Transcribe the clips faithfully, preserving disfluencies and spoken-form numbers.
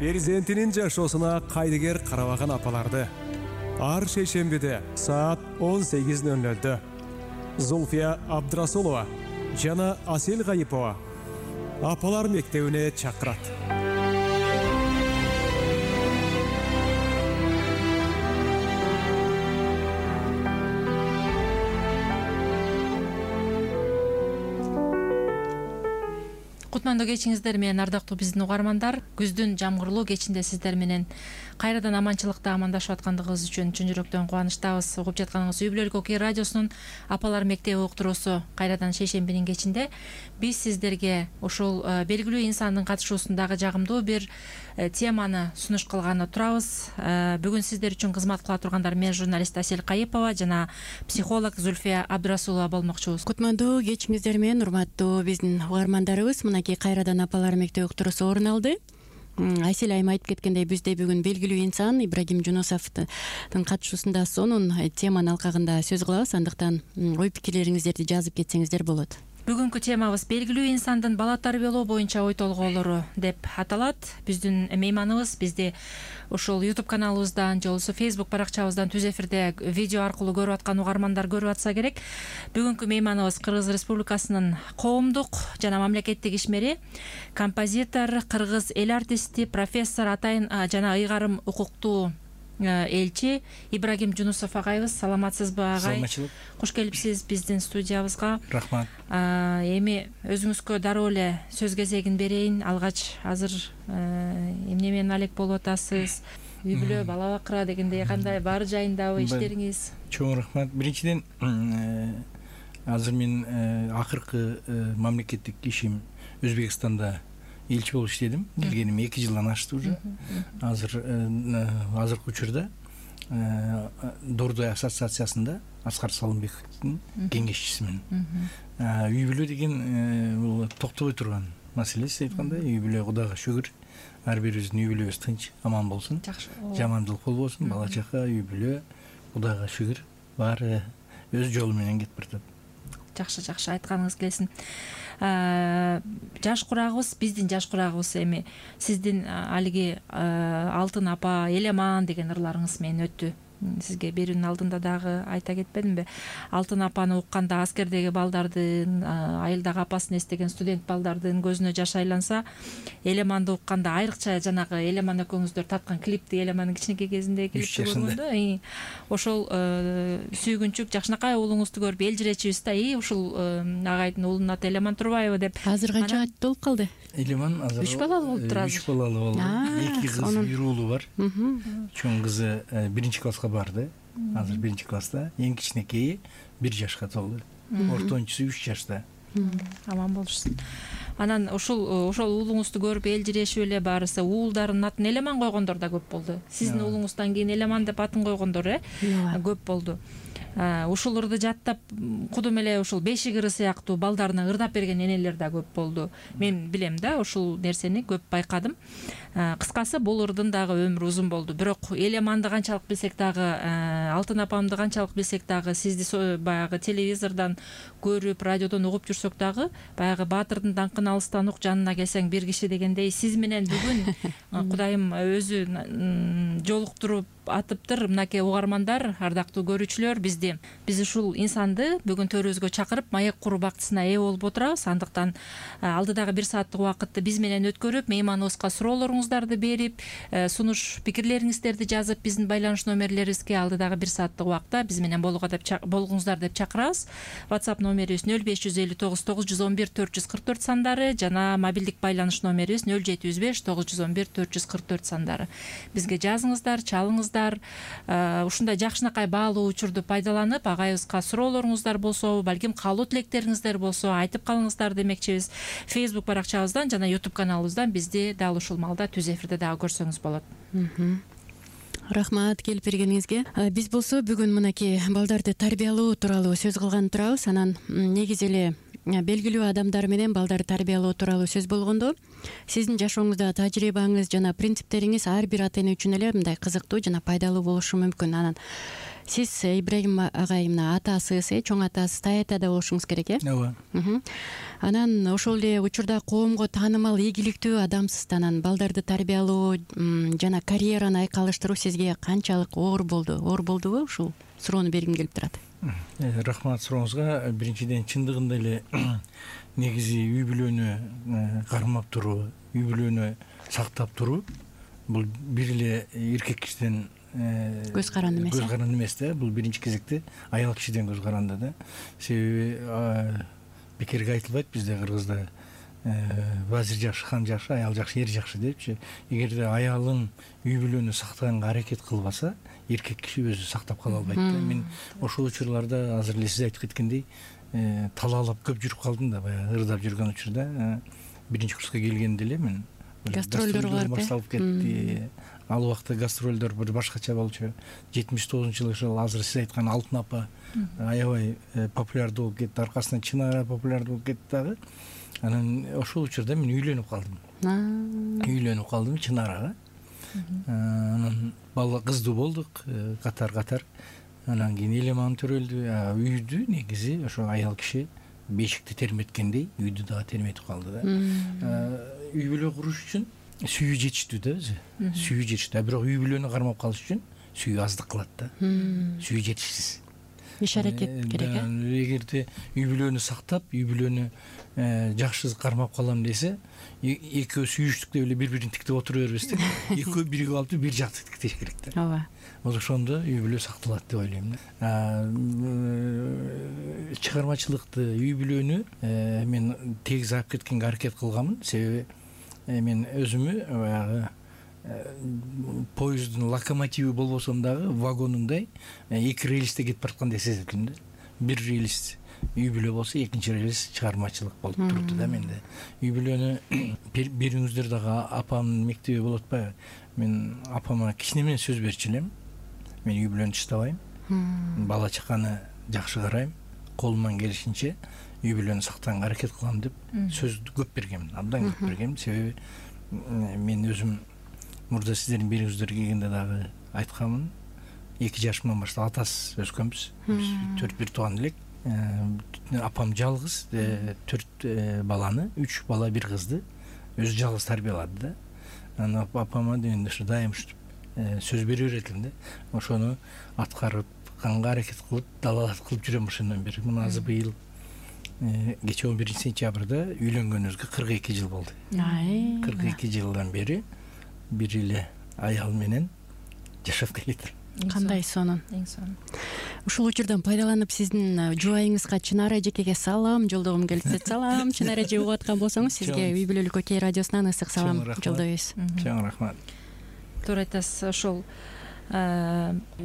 перзентинин жашоосуна кайдыгер карабаган апаларды ар шейшембиде саат он сегиз ноль нольдө Зульфия Абдрасулова жана Асел Гайыпова апалар мектебине чакырат. Кутмандуу кечиңиздер менен ардактуу биздин угармандар, күздүн жамгырлуу кечинде сиздер менен кайрадан аманчылыкта амандашып аткандыгыбыз үчүн чын жүрөктөн кубанычтабыз. Угуп жатканыңыз Үй бүлөлүк окуя радиосунун апалар мектеби уктуруусу кайрадан шейшембинин кечинде биз сиздерге ушул белгилүү инсандын катышуусундагы жагымдуу бир теманы сунуш кылганы турабыз. Бүгүн сиздер үчүн кызмат кыла тургандар мен журналист Асел Гайыпова жана психолог Зульфия Абдрасулова болмокчубуз. Кутмандуу кечиңиздер менен урматтуу биздин угармандарыбыз, мынакей кайрадан апалар мектеби уктуруусу орун алды. Айсел айым айтып кеткендей, бизде бүгүн белгилүү инсан Ибрагим Жунусовдун катышуусунда сонун теманын алкагында сөз кылабыз. Андыктан ой пикирлериңиздерди жазып кетсеңиздер болот. Бүгүнкү темабыз белгилүү инсандын бала тарбиялоо боюнча ой толгоолору деп аталат. Биздин мейманыбыз бизди ушул YouTube каналыбыздан же болбосо Facebook баракчабыздан түз эфирде видео аркылуу көрүп аткан угармандар көрүп атса керек. Бүгүнкү мейманыбыз Кыргыз Республикасынын коомдук жана мамлекеттик ишмери, композитор, кыргыз эл артисти, профессор, атайын жана ыйгарым укуктуу элчи Ибрагим Жунусов агайыбыз. Саламатсызбы агай? Саламатчылык. Куш келипсиз биздин студиябызга. Рахмат. Эми өзүңүзгө дароо эле сөз кезегин берейин. Алгач азыр эмне менен алек болуп атасыз? Үй бүлө, бала бакыра дегендей кандай бар жайындабы иштериңиз? Чоң рахмат. Биринчиден азыр мен акыркы мамлекеттик ишим Өзбекстанда элчи болуп иштедим. Келгеним эки жылдан ашты уже. Азыр азыркы учурда Дордой ассоциациясында Аскар Салымбековдун кеңешчисимин. Үй бүлө деген бул токтобой турган маселе, сиз айткандай. Үй бүлө Кудайга шүгүр. Ар бирибиздин үй бүлөбүз тынч, аман болсун. Жамандык болбосун. Бала чака, үй бүлө, Кудайга шүгүр, баары өз жолу менен кетип баратат. Жакшы, жакшы айтканыңыз келсин. Жаш курагыбыз, биздин жаш курагыбыз эми сиздин алиги Алтын апа, Элеман деген ырларыңыз менен өттү. Сизге берүүнүн алдында дагы айта кетпедимби? Алтын апаны укканда аскердеги балдардын, айылдагы апасын эстеген студент балдардын көзүнө жаш айланса, Элеманды укканда айрыкча жанагы Элеман экөөңүздөр тарткан клипти, Элемандын кичинекей кезинде клипти көргөндө, ошол сүйгүнчүк жакшынакай уулуңузду көрүп элжиречүбүз да, и ушул агайдын уулунун аты Элеман Турбаева деп. Азыр канча аттуу болуп калды? Элеман азыр үч балалуу болуп турат. үч балалуу болду. эки кыз, бир уулу бар. Чоң кызы биринчи класска барды. Азыр биринчи класста. Эң кичинекейи бир жашка толду. Ортончусу үч жашта. Аман болушсун. Анан ушул ошол уулуңузду көрүп элжирешип эле баарысы уулдарынын атын Элеман койгондор да көп болду. Сиздин уулуңуздан кийин Элеман деп атын койгондор э көп болду. Ушул ырды жаттап кудум эле ушул бешик ыры сыяктуу балдарына ырдап берген энелер да көп болду. Мен билем да, ушул нерсени көп байкадым. Кыскасы бул ырдын дагы өмүрү узун болду. Бирок Элеманды канчалык билсек дагы, Алтын апамды канчалык билсек дагы, сизди баягы телевизордон көрүп, радиодон угуп жүрсөк дагы, баягы баатырдын даңкын алыстан ук, жанына келсең бир киши дегендей, сиз менен бүгүн Кудайым өзү жолуктуруп атыптыр. Мынакей угармандар, ардактуу көрүүчүлөр, бизди биз ушул инсанды бүгүн төрүбүзгө чакырып, маек куруу бактысына ээ болуп отурабыз. Андыктан алдыдагы бир сааттык убакытты биз менен өткөрүп, мейманыбызга суроолоруңуздарды берип, сунуш пикирлериңиздерди жазып, биздин байланыш номерлерибизге алдыдагы бир сааттык убакытта биз менен болгуңуздар деп чакырабыз. WhatsApp номерибиз нөл беш жүз элүү тогуз тогуз жүз он бир төрт жүз кырк төрт сандары жана мобилдик байланыш номерибиз нөл жети жүз беш тогуз жүз он бир төрт жүз кырк төрт сандары. Бизге жазыңыздар, чалыңыздар. Ушундай жакшынакай баалуу учурду пайдаланып, агайыбызга суроолоруңуздар болсо, балким каалоо тилектериңиздер болсо айтып калыңыздар демекчибиз. Facebook баракчабыздан жана YouTube каналыбыздан бизди дал ушул малда түз эфирде дагы көрсөңүз болот. Рахмат келип бергениңизге. Биз болсо бүгүн мынакей балдарды тарбиялоо тууралуу сөз кылган турабыз. Анан негизи эле белгилүү адамдар менен балдарды тарбиялоо тууралуу сөз болгондо, сиздин жашооңузда тажрыйбаңыз жана принциптериңиз ар бир ата эне үчүн эле мындай кызыктуу жана пайдалуу болушу мүмкүн. Анан Сиз Ибрагим агай мына атасыз, э чоң атасыз, Таятада болушуңуз керек, э? ооба. Анан ошол эле учурда коомго таанымал, ийгиликтүү адамсыз. Анан балдарды тарбиялоо жана карьераны айкалыштыруу сизге канчалык оор болду? Оор болдубу? Ушул суроону бергим келип турат. Рахмат сурооңузга. Биринчиден чындыгында эле негизи үй бүлөнү кармап туруу, үй бүлөнү сактап туруу бул бир эле эркек кишиден көз каранды эмес. Көз каранды эмес да. Бул биринчи кезекте аял кишиден көз каранды да. Себеби бекерге айтылбайт бизде Кыргызда вазир жакшы, хан жакшы, аял жакшы, эр жакшы депчи. Эгерде аялың үй бүлөнү сактаганга аракет кылбаса, эркек киши өзү сактап кала албайт да. Мен ошол учурларда азыр эле сиз айтып кеткендей талаалап көп жүрүп калдым да, баягы ырдап жүргөн учурда. Биринчи курска келгенде эле мен гастролдор барып башталып кетти. Ал убакта гастролдор бир башкача болчу. жетимиш тогузунчу жылы ошол азыр сиз айткан Алтын апа аябай популярдуу болуп кетти, аркасынан Чынара популярдуу болуп кетти дагы. Анан ошол учурда мен үйлөнүп калдым. Үйлөнүп калдым Чынарага. Анан бала кыздуу болдук катар-катар. Анан кийин элеман төрөлдү. Үйдү негизи ошо аял киши бешикти терметкендей үйдү дагы терметип калды да. Үй бүлө куруш үчүн сүйүү жетиштүү да өзү. Сүйүү жетиштүү. Бирок үй бүлөнү кармап калыш үчүн сүйүү аздык кылат да. Сүйүү жетишсиз. Иш аракет керек, э? Эгерде үй бүлөнү сактап, үй бүлөнү жакшы кармап калам десе, экөө сүйүштүктө эле бири-бирин тиктеп отура бербестен, экөө биригип алып бир жакты тиктеш керек да. Ооба. Ошондо үй бүлө сакталат деп ойлойм да. Чыгармачылыкты, үй бүлөнү мен тегиз алып кеткенге аракет кылганмын. Себеби мен өзүмө баягы поезддин локомотиви болбосом дагы вагонундай эки рельсте кетип бараткандай сездим да. Бир рельс үй бүлө болсо, экинчи рельс чыгармачылык болуп турду да менде. Үй бүлөнү бериңиздер дагы апамдын мектеби болуп атпайбы? Мен апама кичине менен сөз берчү элем. Мен үй бүлөнү таштабайм. Бала чаканы жакшы карайм. Колуман келишинче үй бүлөнү сактаганга аракет кылам деп сөз көп бергем, абдан көп бергем. Себеби мен өзүм мурда сиздердин бериңиздерге келгенде дагы айтканмын. эки жашымдан баштап атасыз өскөнбүз. Төрт бир тууган элек. Апам жалгыз төрт баланы, үч бала, бир кызды өзү жалгыз тарбиялады да. Анан апама дегенде ушу дайым ушинтип сөз бере беретим да. Ошону аткарып, канга аракет кылып, далалат кылып жүрөм ошондон бери. Мына азыр быйыл кечээ он биринчи сентябрда үйлөнгөнүбүзгө кырк эки жыл болду. кырк эки жылдан бери бир эле аял менен жашап келатыр. Кандай сонун. Эң сонун. Ушул учурдан пайдаланып сиздин жубайыңызга Чынара эжекеге салам жолдогум келип, салам Чынара эже угуп аткан болсоңуз, сизге Үй бүлөлүк Окей радиосунан ысык салам жолдойбуз. Чоң рахмат. Туура айтасыз. Ошол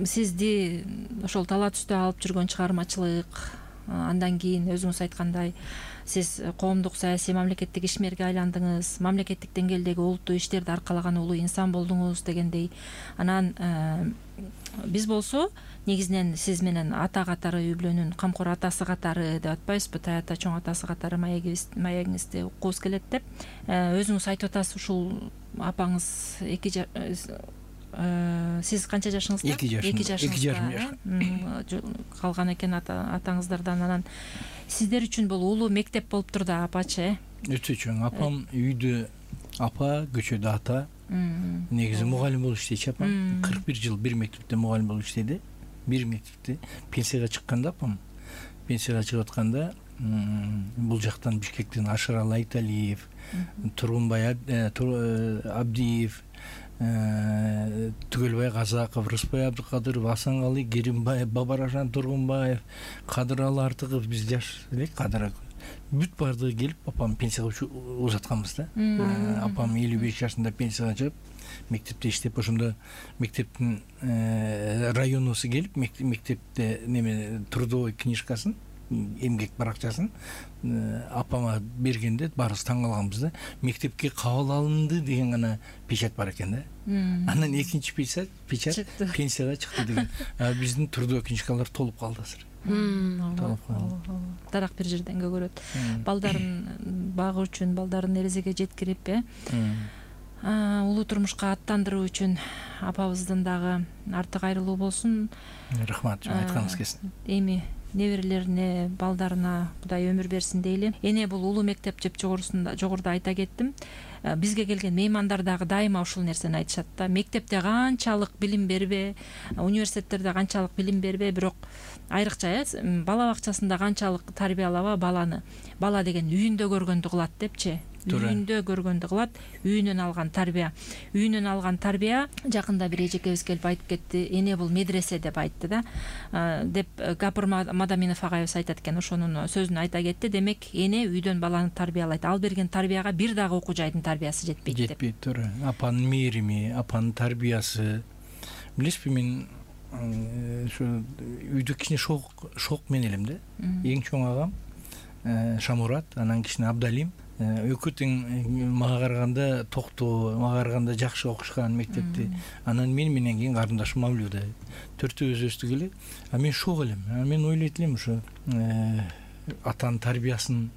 сизди ошол тала түстө алып жүргөн чыгармачылык, андан кийин өзүңүз айткандай сиз коомдук саясий мамлекеттик ишмерге айландыңыз, мамлекеттик деңгээлдеги олуттуу иштерди аркалаган улуу инсан болдуңуз дегендей. Анан биз болсо негизинен сиз менен ата катары, үй бүлөнүн камкор атасы катары деп атпайбызбы, Таята чоң атасы катары маегиңизди уккубуз келет деп. Өзүңүз айтып атасыз, ушул апаңыз эки сиз канча жашыңызда? эки жашым. эки жарым жаш калган экен атаңыздардан. Анан сиздер үчүн бул улуу мектеп болуптур да, апачы, э? Өтө чоң. Апам үйдө апа, көчөдө ата. Негизи мугалим болуп иштейчү апам. кырк бир жыл бир мектепте мугалим болуп иштеди. Бир мектепте пенсияга чыкканда апам, пенсияга чыгып атканда бул жактан Бишкектен Ашыралы Айталиев, Тургунбай Абдиев, Түгөлбай Казаков, Рыспай Абдыкадыров, Асангалы Керимбаев, Бабарашан Тургунбаев, Кадыралы Артыков, биз жаш элек Кадыр бүт баардыгы келип апам пенсияга узатканбыз да. Апам элүү беш жашында пенсияга чыгып, мектепте иштеп, ошондо мектептин районусу келип, мектепте неме трудовой книжкасын, эмгек баракчасын апама бергенде баарыбыз таң калганбыз да. Мектепке кабыл алынды деген гана печать бар экен да. Анан экинчи печать печать пенсияга чыкты деген. Биздин трудовой книжкалар толуп калды азыр. Дарак бир жерден көгөрөт. Балдарын багуу үчүн, балдарын эрезеге жеткирип, э улуу турмушка аттандыруу үчүн апабыздын дагы арты кайрылуу болсун. Рахмат, айтканыңыз келсин. Эми неберелерине, балдарына Кудай өмүр берсин дейли. Эне бул улуу мектеп жеп жогорусунда жогоруда айта кеттим. Бизге келген меймандар дагы дайыма ушул нерсени айтышат да. Мектепте канчалык билим бербе, университеттерде канчалык билим бербе, бирок айрыкча бала бакчасында канчалык тарбиялаба баланы. Бала деген үйүндө көргөндү кылат депчи. Үйүндө көргөндү кылат, үйүнөн алган тарбия. Үйүнөн алган тарбия, жакында бир эжекебиз келип айтып кетти, эне бул медресе деп айтты да. Деп Гапыр Мадаминов агайыбыз айтат экен, ошонун сөзүн айта кетти. Демек, эне үйдөн баланы тарбиялайт. Ал берген тарбияга бир дагы окуу жайдын тарбиясы жетпейт деп. Жетпейт, туура. Апанын мээрими, апанын тарбиясы. Билесизби, мен ушу үйдө кичине шок шок мен элем да. Эң чоң агам Шамурат, анан кичине Абдалим. Экөө тең мага караганда токтоо, мага караганда жакшы окушкан мектепти. Анан мен менен кийин карындашым Мавлюда. Төртөөбүз өстүк эле. А мен шок элем. А мен ойлойт элем ушу атанын тарбиясын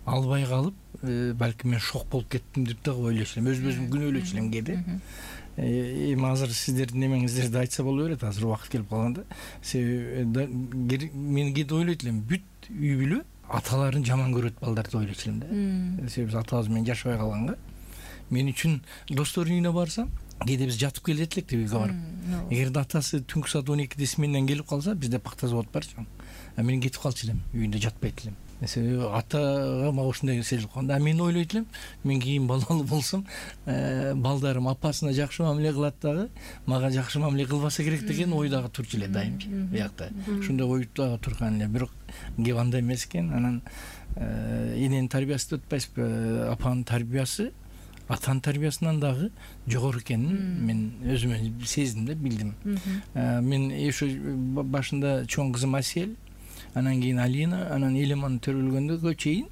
албай калып, балким мен шок болуп кеттим деп дагы ойлочу элем. Өз-өзүм күнөөлөчү элем кээде. Эми азыр сиздердин немеңиздерди айтса боло берет, азыр убакыт келип калганда. Себеби мен кээде ойлойт элем, бүт үй бүлө аталарын жаман көрөт балдарды ойлочу элем да. Себеби биз атабыз менен жашабай калганга. Мен үчүн достордун үйүнө барсам, кээде биз жатып келет элек деп үйгө барып. Эгерде атасы түнкү саат он экиде сменден келип калса, бизде пакта завод бар чоң. А мен кетип калчу элем, үйүндө жатпайт элем. Себеби атага мага ушундай сезилип калганда, мен ойлойт элем, мен кийин балалуу болсом, балдарым апасына жакшы мамиле кылат дагы, мага жакшы мамиле кылбаса керек деген ой дагы турчу эле дайымчы. Биякта ушундай ой дагы турган эле. Бирок кеп андай эмес экен. Анан эненин тарбиясы деп атпайсызбы, апанын тарбиясы атанын тарбиясынан дагы жогору экенин мен өзүмө сездим да, билдим. Мен ошо башында чоң кызым Асел, анан кийин Алина, анан Элеман төрөлгөндөгө чейин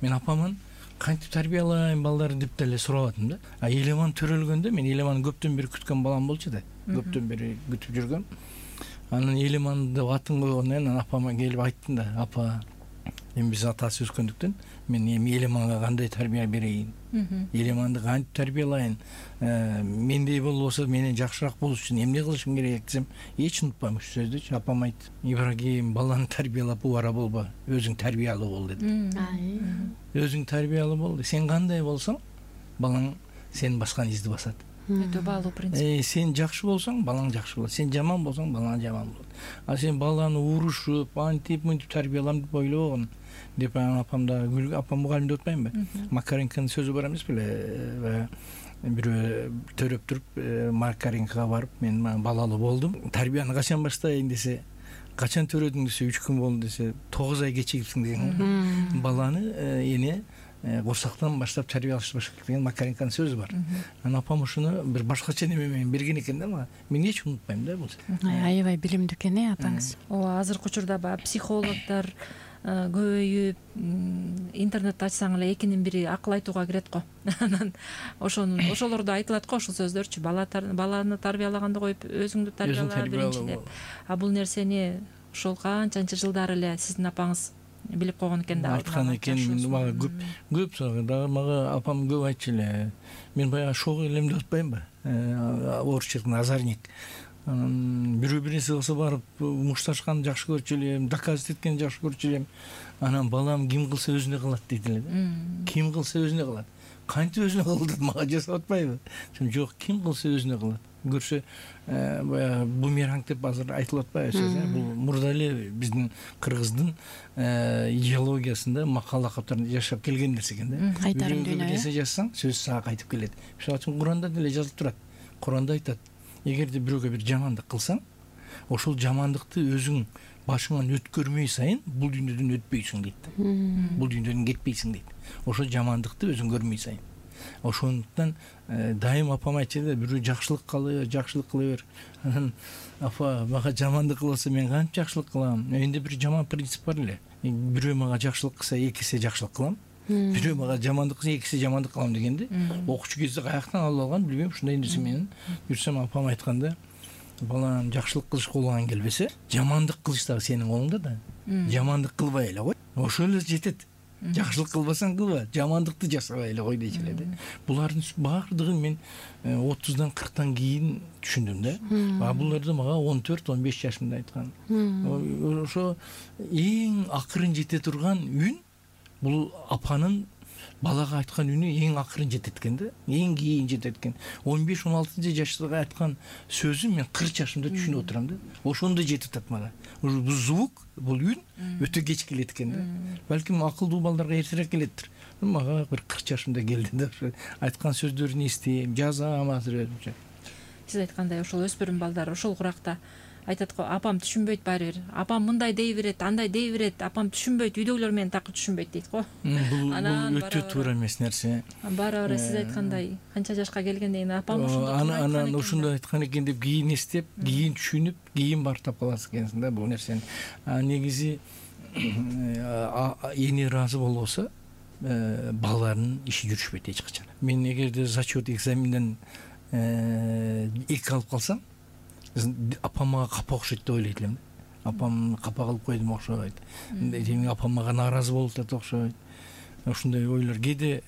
мен апаман кантип тарбиялайм балдарды деп деле сурабадым да. А Элеман төрөлгөндө мен Элеманы көптөн бери күткөн балам болчу да. Көптөн бери күтүп жүргөм. Анан Элеманды атын койгондон кийин апама келип айттым да, апа, эми биз атасы өскөндүктөн мен эми Элеманга кандай тарбия берейин? Элеманды кантип тарбиялайын? Мендей болбосо менен жакшыраак болуш үчүн эмне кылышым керек десем, эч унутпайм ушул сөздү. Апам айтты: "Ибрагим, баланы тарбиялап убара болбо, өзүң тарбиялуу бол" деди. Өзүң тарбиялуу бол. Сен кандай болсоң, балаң сенин баскан изди басат. Өтө баалуу принцип. Э, сен жакшы болсоң, балаң жакшы болот. Сен жаман болсоң, балаң жаман болот. А сен баланы урушуп, антип, мынтип тарбиялам деп ойлобогон. Деп апам да, апам мугалим деп атпаймынбы? Макаренканын сөзү бар эмес беле? Бирөө төрөп туруп, Макаренкага барып, мен балалуу болдум. Тарбияны качан баштайын десе, качан төрөдүң десе, үч күн болду десе, тогуз ай кечигипсиң деген. Баланы эне курсактан баштап тарбиялаш керек деген Макаренканын сөзү бар. Анан апам ушуну бир башкача неме менен берген экен да мага. Мен эч унутпайм да бул. Аябай билимдүү экен э апаңыз. Ооба, азыркы учурда баягы психологдор көбөйүп, интернетти ачсаң эле экинин бири акыл айтууга кирет го. Анан ошонун ошолордо айтылат го, ошол сөздөрчү. Баланы тарбиялаганды коюп, өзүңдү тарбияла биринчи деп. А бул нерсени ошол канчанчы жылдар эле сиздин апаңыз билип койгон экен да. Айткан экен, мага көп көп сагы дагы мага апам көп айтчу эле. Мен баягы шок элем деп атпаймынбы? Орусчадан азарник. Анан бирөө бир нерсе кылса барып мушташканды жакшы көрчү элем, доказывать эткенди жакшы көрчү элем. Анан балам ким кылса өзүнө кылат дейт эле да. Ким кылса өзүнө кылат. Кантип өзүнө кылды, мага жасап атпайбы? Жок, ким кылса өзүнө кылат. Көрсө баягы бумеранг деп азыр айтылып атпайбы сөз? Бул мурда эле биздин кыргыздын идеологиясында макал лакаптарында жашап келген нерсе экен да. Кайтарым дүнө. Бир нерсе жазсаң, сөз сага кайтып келет. Мисалы үчүн Куранда деле жазылып турат. Куранда айтат: эгерде бирөөгө бир жамандык кылсаң, ошол жамандыкты өзүң башыңан өткөрмөй сайын бул дүйнөдөн өтпөйсүң дейт. Бул дүйнөдөн кетпейсиң дейт. Ошол жамандыкты өзүң көрмөй сайын. Ошондуктан дайым апам айтчу да, бирөө жакшылык кылы, жакшылык кыла бер. Анан апа, мага жамандык кылса мен кантип жакшылык кылам? Менде бир жаман принцип бар эле. Бирөө мага жакшылык кылса, экисе жакшылык кылам. Бирөө мага жамандык кылса, экисе жамандык кылам дегенди. Окучу кезде каяктан алып алган билбейм, ушундай нерсе менен жүрсөм, апам айтканда, балам жакшылык кылыш колуңан келбесе, жамандык кылыш дагы сенин колуңда да. Жамандык кылбай эле кой. Ошол эле жетет. жакшылык кылбасаң кылба, жамандыкты жасабай эле кой дечү эле да. Булардын баардыгын мен отуздан кырктан кийин түшүндүм да. А буларды мага он төрт он беш жашымда айткан. Ошо эң акырын жете турган үн бул апанын балага айткан үнү эң акырын жетет экен да, эң кийин жетет экен. он беш он алтынчы жаштагы айткан сөзүн мен кырк жашымда түшүнүп отурам да. Ошондо жетип атат мага. Бул звук, бул үн өтө кеч келет экен да. Балким акылдуу балдарга эртерээк келеттир. Мага бир кырк жашымда келди да. Айткан сөздөрүн эстейм, жазам азыр өзүмчө. Сиз айткандай ошол өспүрүм балдар ошол куракта айтат го, апам түшүнбөйт баары бир. Апам мындай дей берет, андай дей берет, апам түшүнбөйт, үйдөгүлөр менен такыр түшүнбөйт дейт го. Бул өтө туура эмес нерсе. Бара-бара сиз айткандай канча жашка келгенден кийин апам ошондой аны анан ошондой айткан экен деп кийин эстеп, кийин түшүнүп, кийин барып таап каласыз экенсиң да бул нерсени. Негизи эне ыраазы болбосо балалардын иши жүрүшпөйт эч качан. Мен эгерде зачет экзаменден эки алып калсам, апам мага капа окшойт деп ойлойт элем. Апам капа кылып койдум окшойт. Демек апам мага нааразы болуп атат окшойт. Ушундай ойлор. Кээде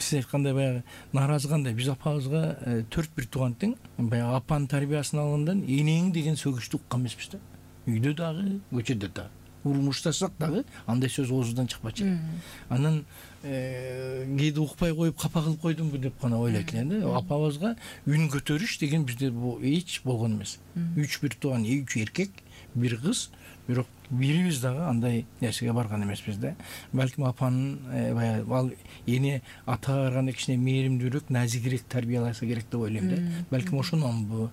сиз айткандай баягы нааразы кандай? Биз апабызга төрт бир тууган тең, баягы апанын тарбиясын алгандан энең деген сөгүштү уккан эмеспиз да. Үйдө дагы, көчөдө дагы. Урмушташсак дагы андай сөз оозунан чыкпачу. Анан кээде укпай коюп капа кылып койдумбу деп гана ойлойт элем да. Апабызга үн көтөрүш деген бизде бул эч болгон эмес. Үч бир тууган, үч эркек, бир кыз, бирок бирибиз дагы андай нерсеге барган эмеспиз да. Балким апанын баягы ал эне атага караганда кичине мээримдүүрөөк, назикирээк тарбияласа керек деп ойлойм да. Балким ошононбу.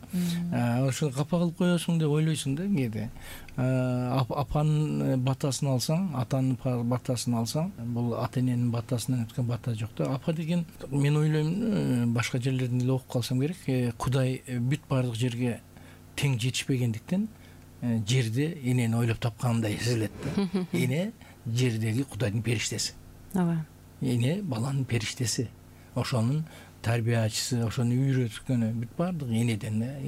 Ошо капа кылып коесуң деп ойлойсуң да кээде. Апанын батасын алсаң, атанын батасын алсаң, бул ата эненин батасынан өткөн бата жок да. Апа деген мен ойлойм, башка жерлерден эле окуп калсам керек, Кудай бүт баардык жерге тең жетишпегендиктен жерде энени ойлоп тапкандай сезилет да. Эне жердеги Кудайдын периштеси. Ооба. Эне баланын периштеси. Ошонун тарбиячысы, ошону үйрөткөнү бүт баардык энеден да.